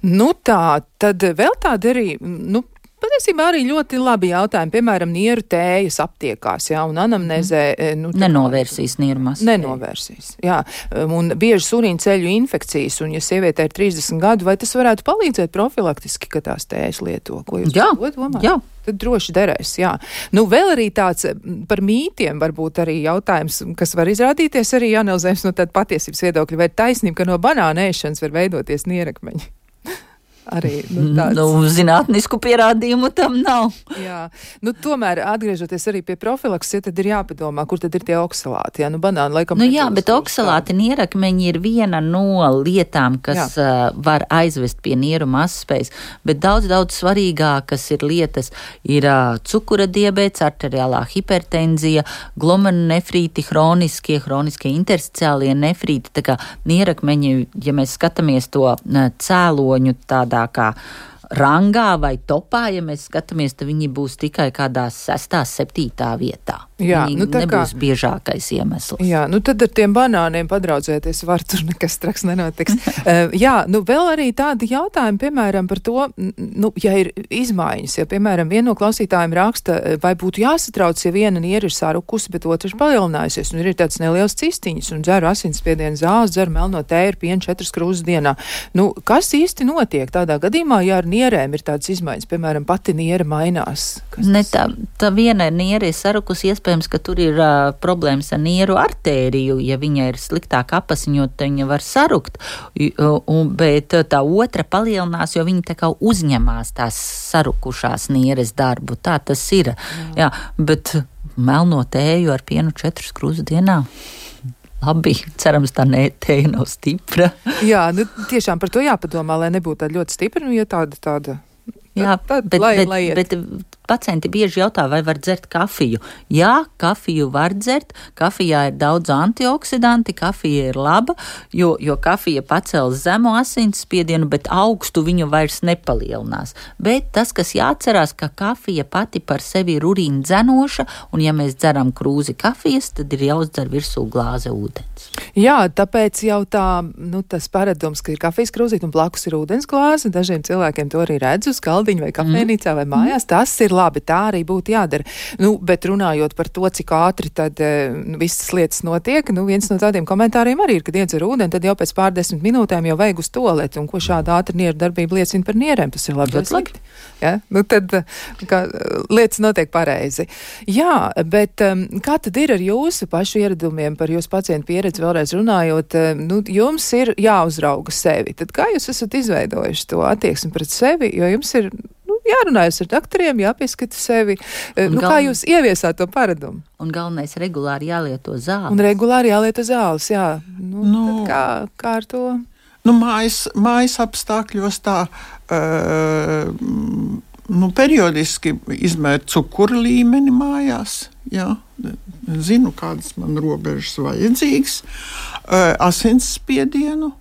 nu tā, tad vēl tāda arī, nu, patiesībā arī ļoti labi jautājumi, piemēram, nieru tējas aptiekās, jā, un anamnezē. Nu, nenovērsīs nieru masu. Nenovērsīs, jā, un biežas urīna ceļu infekcijas, un ja sievietē ir trīsdesmit gadu, vai tas varētu palīdzēt profilaktiski, ka tās tējas lieto? Ko jūs jā, domājat? Jā. Tad droši derēs, jā. Nu, vēl arī tāds par mītiem varbūt arī jautājums, kas var izrādīties arī analizējums no tāda patiesības viedokļa, vai taisnība, ka no banāna ēšanas var veidoties nierakmeņi? Arī, nu, tāds... nu, zinātnisku pierādījumu tam nav. Jā, nu, tomēr atgriežoties arī pie profilakses, ja tad ir jāpadomā, kur tad ir tie oksalāti, jā, nu, banāni laikam... Nu, jā, bet oksalāti nierakmeņi ir viena no lietām, kas uh, var aizvest pie nieru mazspējas, bet daudz, daudz svarīgākas ir lietas, ir uh, cukura diabēts, arteriālā hipertenzija, glomerulonefrīti, hroniskie, hroniskie intersticiālie nefrīti, tā kā nierakmeņi, ja mēs skatāmies to uh, cēloņu tādā kā rangā vai topā, ja mēs skatāmies, tad viņi būs tikai kādā sestā, septītā vietā. Jā, viņi nu tā nebūs kā, biežākais iemesls. Jā, nu tad ar tiem banāniem padraudzēties var, tur nekas traks nenotiks. uh, jā, nu vēl arī tādi jautājumi, piemēram, par to, nu, ja ir izmaiņas, ja, piemēram, viena no klausītājiem raksta, vai būtu jāsatrauc, ja viena niera ir sarukusi, bet otra ir palielinājusies, un ir tāds neliels cistiņas, un dzeru asinsspiedienu zāles, dzeru melno tēju, pienu četras krūzes dienā. Nu, kas īsti notiek tādā gadījumā, ja ar nierēm ir tādas izmaiņas, piemēram, pati niera mainās? Ne, tā, tā viena niera ir sarukusi, iespējams, ka tur ir uh, problēmas ar nieru artēriju, ja viņa ir sliktāk apasiņot, tad viņa var sarukt, un, bet tā otra palielinās, jo viņa tā kā uzņemās tās sarukušās nieres darbu. Tā tas ir. Jā. Jā, bet melno tēju ar pienu četras krūzes dienā. Labi, cerams, tā ne, tēja nav stipra. Jā, nu tiešām par to jāpadomā, lai nebūtu tāda ļoti stipra, nu ja tāda, tāda. Jā, tad, bet, lai, bet, lai bet pacienti bieži jautā, vai var dzert kafiju. Jā, kafiju var dzert, kafijā ir daudz antioksidanti, kafija ir laba, jo, jo kafija pacēl zemu asinsspiedienu, bet augstu viņu vairs nepalielinās. Bet tas, kas jāatcerās, ka kafija pati par sevi ir urīna dzenoša, un ja mēs dzeram krūzi kafijas, tad ir jāuzdzer virsū glāze ūdens. Jā, tāpēc jau tā, nu, tas paradums, ka ir kafijas krūzīt un blakus ir ūdens glāze, dažiem cilvēkiem to arī redz uz galdiņu vai kafēnīcā vai mājās, tas ir labi, tā arī būtu jādara. Nu, bet runājot par to, cik ātri tad nu, visas lietas notiek, nu, viens no tādiem komentāriem arī ir, kad iedzer ūdeni, tad jau pēc pārdesmit minūtēm jau vajag uz toaleti, un ko šāda ātra nieru darbība liecina par nierēm, tas ir labi vai slikti. Ja? Nu, tad kā, lietas notiek pareizi. Jā, bet um, kā tad ir ar jūsu pašu ieradumiem, par jūsu pacientu pieredzi vēlreiz runājot, um, nu, jums ir jāuzrauga sevi. Tad kā jūs esat izveidojuši to attieksmi pret sevi, jo jums ir nu, jārunājas ar doktoriem, jāpieskata sevi. Un nu, gal... Kā jūs ieviesāt to paradumu? Un galvenais regulāri jālieto zāles. Un regulāri jālieto zāles, jā. Nu, nu, kā, kā ar to? Nu, mājas, mājas apstākļos tā uh, nu, periodiski izmēr cukura līmeni mājās. Jā. Zinu, kādas man robežas vajadzīgas. Uh, asinsspiedienu.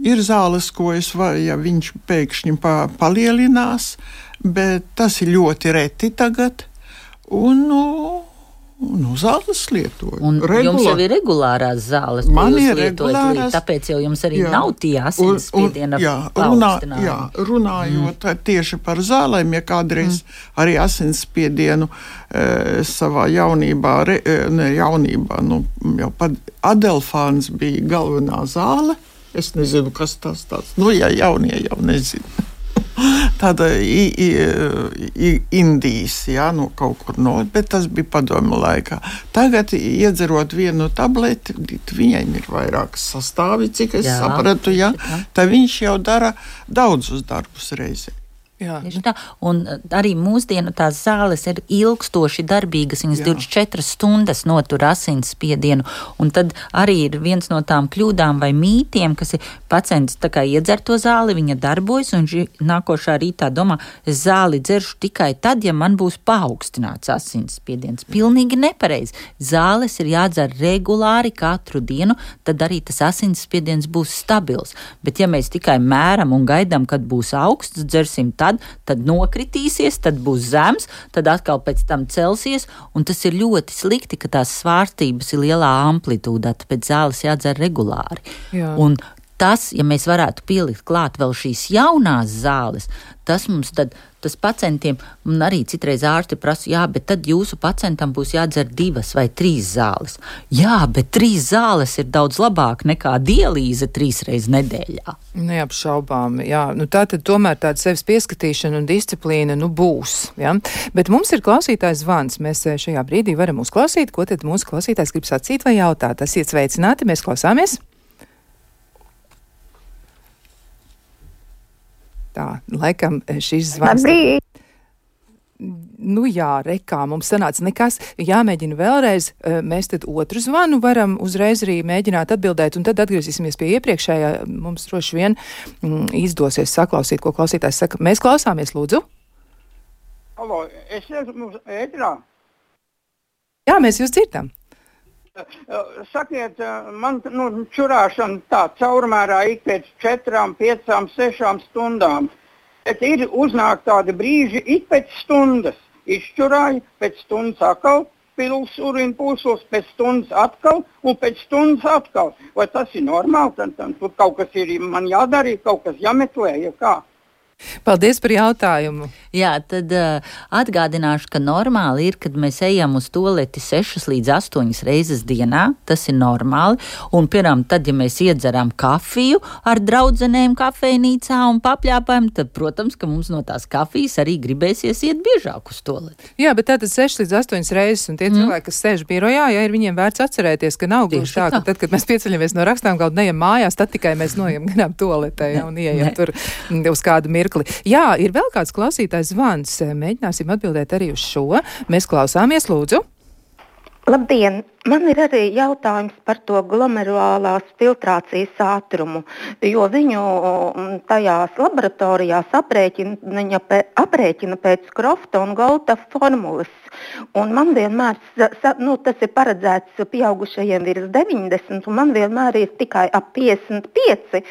Ir zāles, ko es varu, ja viņš pēkšņi pa, palielinās, bet tas ir ļoti reti tagad. Un, nu, nu zāles lietoju. Un Regula... jums jau ir regulārās zāles, man ko jūs ir lietojat, regulārās... tāpēc jau jums arī jā. Nav tie asinsspiediena paaugstinājumi. Jā, runājot mm. tieši par zālēm, ja kādreiz mm. arī asinsspiedienu e, savā jaunībā, re, ne jaunībā, nu, jau pat Adelfāns bija galvenā zāle. Es nezinu, kas tas tāds. Nu, jā, jaunie jau nezinu. Tāda i, i, i, Indijas, jā, nu kaut kur no, bet tas bija padomju laikā. Tagad, iedzerot vienu tableti, viņai ir vairākas sastāvi, cik es jā, sapratu, jā, tā viņš jau dara daudzus darbus reizē. Jā. Tieši tā. Un arī mūsdienu tās zāles ir ilgstoši darbīgas, viņas Jā. divdesmit četras stundas notur asinsspiedienu, un tad arī ir viens no tām kļūdām vai mītiem, kas ir pacients tā kā iedzer to zāli, viņa darbojas, un ži, nākošā rītā domā, es zāli dzeršu tikai tad, ja man būs paaugstināts asinsspiediens. Pilnīgi nepareizi. Zāles ir jādzer regulāri katru dienu, tad arī tas asinsspiediens būs stabils. Bet ja mēs tikai mēram un gaidām, kad būs augsts, dzersim tad, tad nokritīsies, tad būs zems, tad atkal pēc tam celsies, un tas ir ļoti slikti, ka tās svārstības ir lielā amplitūdā, tāpēc zāles jādzer regulāri. Jā. Un tas, ja mēs varētu pielikt klāt vēl šīs jaunās zāles, tas mums tad, tas pacientiem, un arī citreiz ārsti prasa, jā, bet tad jūsu pacientam būs jādzer divas vai trīs zāles. Jā, bet trīs zāles ir daudz labāk nekā dialīze trīs reizes nedēļā. Neapšaubām, jā. Nu, tā tad tomēr tāda sevis pieskatīšana un disciplīna, nu, būs, jā. Bet mums ir klausītājs zvans. Mēs šajā brīdī varam uzklausīt, ko tad mūsu klausītājs grib sacīt vai jautāt. Esiet sveicināti, mēs klausāmies. Tā, laikam šis zvans. Labrīt! Nu jā, rekā, mums sanāca nekas, jāmēģina vēlreiz, mēs tad otru zvanu varam uzreiz arī mēģināt atbildēt, un tad atgriezīsimies pie iepriekšējā, mums droši vien mm, izdosies saklausīt, ko klausītājs saka. Mēs klausāmies, lūdzu. Halo, es esmu ētrā. Jā, mēs jūs dzirdam. Sakiet, man nu, čurāšana tā caurmērā ik pēc četrām, piecām, sešām stundām. Bet ir uznāk tādi brīži ik pēc stundas. Izčurāju, pēc stundas atkal pils urīna pūslos, pēc stundas atkal un pēc stundas atkal. Vai tas ir normāli? Tad, tad, tur kaut kas ir man jādara, kaut kas jāmeklē, ja kā? Paldies par jautājumu. Jā, tad uh, atgādināšu, ka normāli ir, kad mēs ejam uz tualeti sešas līdz astoņas reizes dienā. Tas ir normāli. Un, piemēram, tad, ja mēs iedzeram kafiju ar draudzenēm kafejnīcā un papļāpājam, tad, protams, ka mums no tās kafijas arī gribēsies iet biežāk uz tualeti. Jā, bet tātad sešas līdz astoņas reizes, un tie mm. cilvēki, kas sēž birojā, ja ir viņiem vērts atcerēties, ka nav gluži tā, ka tad, kad mēs pieceļamies no rakstām galda neejam mājās, tad tikai mēs noejam garām tualetē, ja, un ieejam tur uz kādu mirkli. Jā, ir vēl kāds klausītājs zvans. Mēģināsim atbildēt arī uz šo. Mēs klausāmies, lūdzu. Labdien! Man ir arī jautājums par to glomerulārās filtrācijas ātrumu, jo viņu tajās laboratorijās aprēķina, aprēķina pēc Krofta un Golta formulas. Un man vienmēr, nu, tas ir paredzēts pieaugušajiem virs deviņdesmit, un man vienmēr ir tikai ap piecdesmit pieci.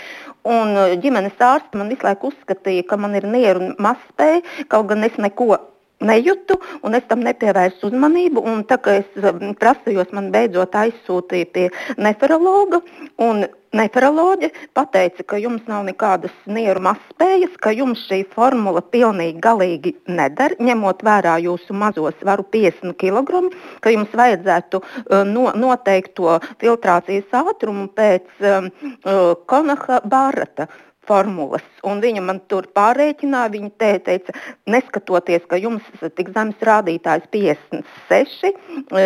Un ģimenes ārsti man visu laiku uzskatīja, ka man ir nieru mazspēja, kaut gan es neko nejūtu, un es tam nepievērsu uzmanību. Un tā kā es prasījos, man beidzot aizsūtīja pie nefrologa, un nefroloģe pateica, ka jums nav nekādas nieru mazspējas, ka jums šī formula pilnīgi galīgi nedara, ņemot vērā jūsu mazo svaru piecdesmit kilogramu, ka jums vajadzētu uh, no, noteikt to filtrācijas ātrumu pēc um, uh, Konaha Barrata formulas. Un viņa man tur pārreķināja, viņa te, teica, neskatoties, ka jums tik zemes rādītājs piecdesmit seši,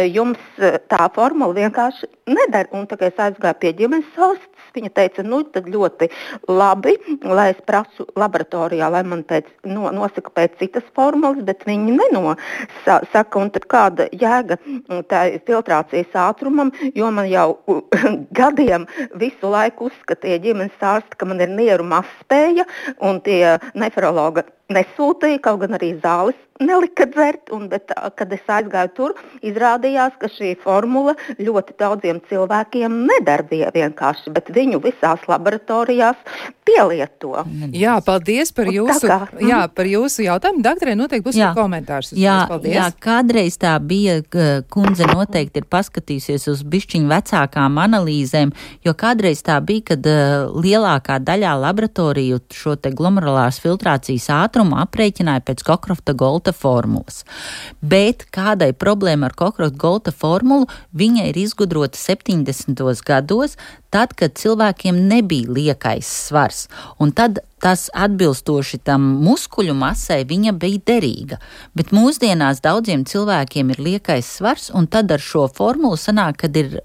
jums tā formula vienkārši nedara. Un tā kā es aizgāju pie ģimenes ārstes, viņa teica, nu tad ļoti labi, lai es prasu laboratorijā, lai man pēc, no, nosaka pēc citas formulas, bet viņi nenosaka, un tad kāda jēga tā filtrācijas ātrumam, jo man jau gadiem visu laiku uzskatīja ģimenes ārsti, ka man ir nieru mazspēja, un tie nefrologa nesūtīja, kaut gan arī zāles nelika dzert, un, bet, kad es aizgāju tur, izrādījās, ka šī formula ļoti daudziem cilvēkiem nedarbīja vienkārši, bet viņu visās laboratorijās pielieto. Jā, paldies par jūsu, jā, par jūsu jautājumu. Daktarē noteikti būs jā. Komentārs. Jā, jā, kādreiz tā bija, kundze noteikti ir paskatījusies uz bišķiņu vecākām analīzēm, jo kādreiz tā bija, kad uh, lielākā daļā laboratoriju šo te glomerulārās filtrācijas ātrumu aprēķināja pēc Cockcrofta Golta formulas. Bet kādai problēma ar Cockcrofta Golta formulu, viņa ir izgudrota septiņdesmitos gados, tad, kad cilvēkiem nebija liekais svars. Un tad tas atbilstoši tam muskuļu masai viņa bija derīga. Bet mūsdienās daudziem cilvēkiem ir liekais svars, un tad ar šo formulu sanāk, kad ir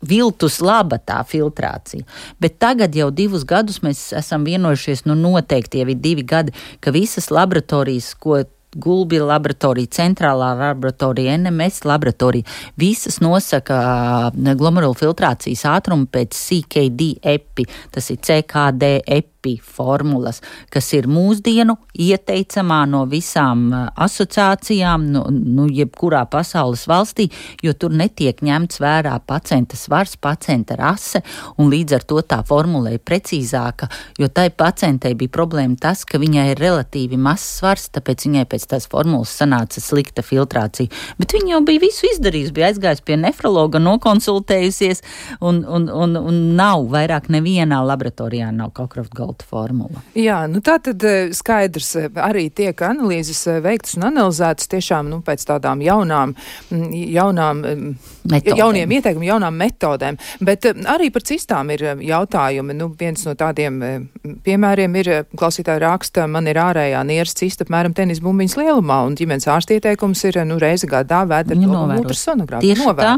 viltus laba tā filtrācija. Bet tagad jau divus gadus mēs esam vienojušies, nu noteikti jau ir divi gadi, ka visas laboratorijas, ko Gulbi laboratorija, centrālā laboratorija, N M S laboratorija, visas nosaka glomerulu filtrācijas ātrumu pēc C K D epi, tas ir C K D epi formulas, kas ir mūsdienu ieteicamā no visām asociācijām, nu, nu jebkurā pasaules valstī, jo tur netiek ņemts vērā pacienta svars, pacienta rase, un līdz ar to tā formula ir precīzāka, jo tai pacientei bija problēma tas, ka viņai ir relatīvi mazs svars, tāpēc viņai pēc tās formulas sanāca slikta filtrācija. Bet viņa jau bija visu izdarījusi, bija aizgājusi pie nefrologa, nokonsultējusies, un, un, un, un nav vairāk nevienā laboratorijā nav Cockcroft Gault formula. Jā, nu tā tad skaidrs, arī tiek analīzes veiktas un analizētas tiešām, nu, pēc tādām jaunām, jaunām, metodēm. jauniem ieteikumiem, jaunām metodēm, bet arī par cistām ir jautājumi. Nu, viens no tādiem piemēriem ir, klausītāja raksta, man ir ārējā nieres cista apmēram tenis bumbiņas lielumā, un ģimenes ārsta ieteikums ir, nu, reizi gadā vēdera ultrasonogrāfija. Tieši tā,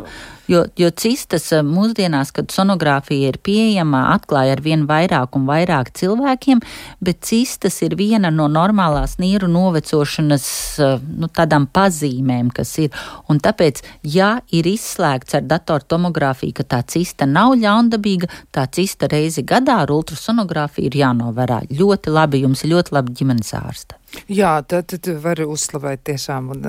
jo, jo cistas mūsdienās, kad sonogrāfija ir pieejama, atklāja ar vien vairāk un vairāk cilvēkiem, bet cistas ir viena no normālās nieru novecošanas, nu, tādām pazīmēm, kas ir. Un tāpēc, ja ir izslēgts ar datortomogrāfiju, ka tā cista nav ļaundabīga, tā cista reizi gadā ar ultrasonogrāfiju ir jānovērā. Ļoti labi, jums ir ļoti labi ģimenes ārsta. Jā, tad, tad var uzslavēt tiešām un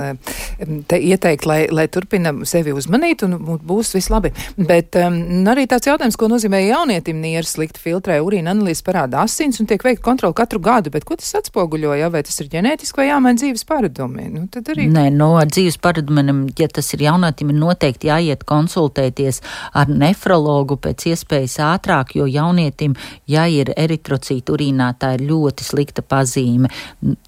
te ieteikt, lai, lai turpina sevi uzmanīt un būs viss labi. Bet um, arī tāds jautājums, ko nozīmē jaunietim nieres slikti filtrē, urīna analīzes parāda asins un tiek veikta kontrola katru gadu, bet ko tas atspoguļo, ja? Vai tas ir ģenētiski vai jāmaina dzīves paradumi? Nu, tad arī... Nē, no ar dzīves paradumiem, ja tas ir jaunietim, ir noteikti jāiet konsultēties ar nefrologu pēc iespējas ātrāk, jo jaunietim, ja ir eritrocīti urīnā, tā ir ļoti slikta pazīme.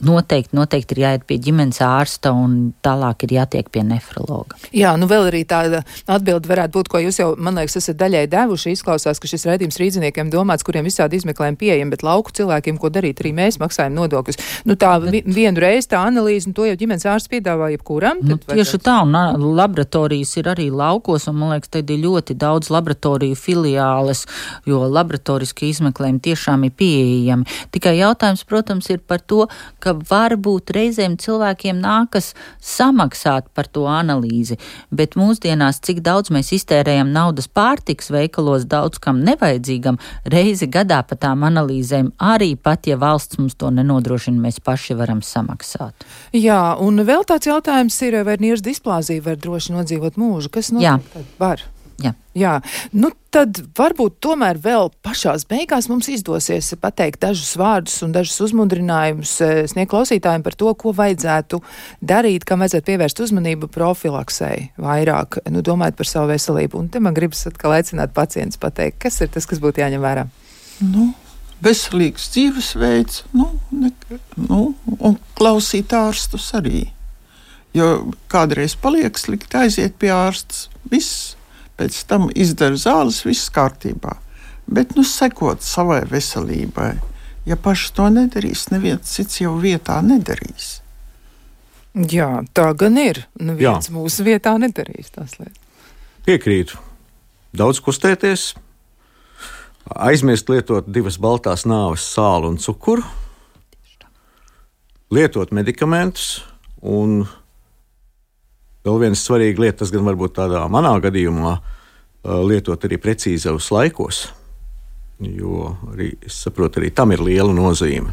Noteikti, noteikti ir jāiet pie ģimenes ārsta un tālāk ir jātiek pie nefrologa. Jā, nu vēl arī tāda atbilde varētu būt, ko jūs jau, man liekas, esat daļai devuši. Izklausās, ka šis raidījums rīdziniekiem domāts, kuriem visādi izmeklējumi pieejami, bet lauku cilvēkiem, ko darīt, arī mēs maksājam nodokļus. Nu tā vi, vienu reizi tā analīze, un to jau ģimenes ārsts piedāvā jebkuram. Nu, tieši tā, un laboratorijas ir arī laukos, un man liekas, tad ir ļoti daudz laboratoriju filiāles, jo laboratoriski izmeklējumi tiešām ir pieejami. Tikai jautājums, protams, ir par to, ka varbūt reizēm cilvēkiem nākas samaksāt par to analīzi, bet mūsdienās, cik daudz mēs iztērējam naudas pārtiks veikalos daudz kam nevajadzīgam, reizi gadā par tām analīzēm arī pat, ja valsts mums to nenodrošina, mēs paši varam samaksāt. Jā, un vēl tāds jautājums ir, vai nieres displāzija var droši nodzīvot mūžu? Kas notiek tad? Var. Jā. Jā, nu tad varbūt tomēr vēl pašās beigās mums izdosies pateikt dažus vārdus un dažus uzmundrinājumus sniegt klausītājiem par to, ko vajadzētu darīt, kam vajadzētu pievērst uzmanību profilaksei vairāk, nu domājot par savu veselību. Un te man gribas atkal aicināt pacients pateikt, kas ir tas, kas būtu jāņem vērā? Nu, veselīgs dzīvesveids, nu, ne, nu, un klausīt ārstus arī. Jo kādreiz paliek slikti, aiziet pie ārstas, viss. Pēc tam izdara zāles, viss kārtībā. Bet, nu, sekot savai veselībai, ja paši to nedarīs, neviens cits jau vietā nedarīs. Jā, tā gan ir. Neviens Jā. Mūsu vietā nedarīs tās lietas. Piekrītu. Daudz kustēties, aizmirst lietot divas baltās nāves sāli un cukuru, lietot medikamentus un vēl viena svarīga lieta, tas gan varbūt tādā manā gadījumā, lietot arī precīzos laikos, jo arī, es saprotu, arī tam ir liela nozīme.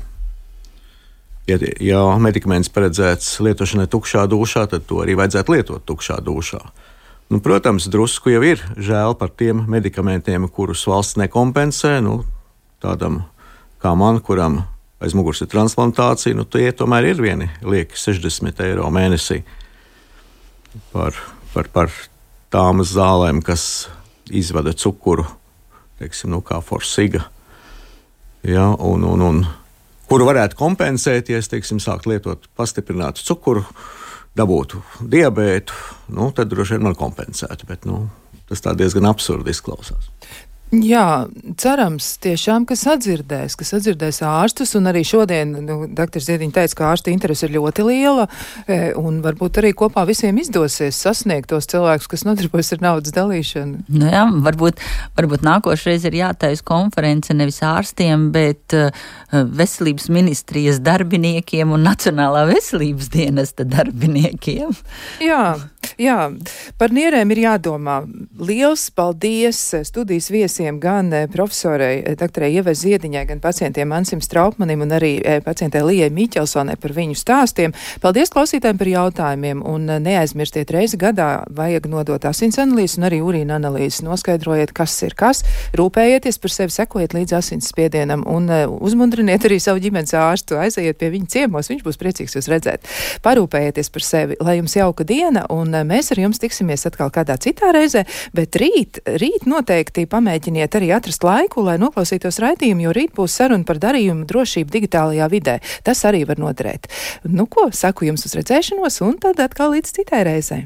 Ja, ja medikaments paredzēts lietošanai tukšā dušā, tad to arī vajadzētu lietot tukšā dušā. Nu, protams, drusku jau ir žēl par tiem medikamentiem, kurus valsts nekompensē, nu, tādam kā man, kuram aiz muguras ir transplantācija, nu, tie tomēr ir vieni lieki sešdesmit eiro mēnesī. Par, par, par tām zālēm, kas izvada cukuru, teiksim, nu, kā Forsiga, ja, un, un, un kuru varētu kompensēt, ja es, teiksim, sākt lietot pastiprinātu cukuru, dabūtu diabētu, nu, tad droši vien man kompensētu, bet, nu, tas tā diezgan absurdi izklausās. Jā, cerams tiešām, ka sadzirdēs, ka sadzirdēs ārstus, un arī šodien, nu, doktor Ziediņa teica, ka ārstu interese ir ļoti liela, e, un varbūt arī kopā visiem izdosies sasniegt tos cilvēkus, kas nodarbojas ar naudas dalīšanu. Nu jā, varbūt, varbūt nākošreiz ir jātais konference nevis ārstiem, bet uh, veselības ministrijas darbiniekiem un Nacionālā veselības dienesta darbiniekiem. Jā, jā, par nierēm ir jādomā. Liels paldies studijas viesiem, gan profesorei doktorei Ievai Ziediņai, gan pacientiem Ansim Straupmanim un arī pacientei Lijai Miķelsonai par viņu stāstiem. Paldies klausītājiem par jautājumiem, un neaizmirstiet, reizi gadā vajag nodot asins analīzes un arī urīna analīzes. Noskaidrojiet, kas ir kas, rūpējieties par sevi, sekojiet līdz asins spiedienam un uzmundriniet arī savu ģimenes ārstu, aizejiet pie viņa ciemos, viņš būs priecīgs jūs redzēt. Parūpējieties par sevi, lai jums jauka diena, un mēs ar jums tiksimies atkal kādā citā reizē, bet rīt, rīt noteikti pamēģiniet arī atrast laiku, lai noklausītos raidījumu, jo rīt būs saruna par darījumu drošību digitālajā vidē. Tas arī var noderēt. Nu ko, saku jums uz redzēšanos, un tad atkal līdz citai reizei.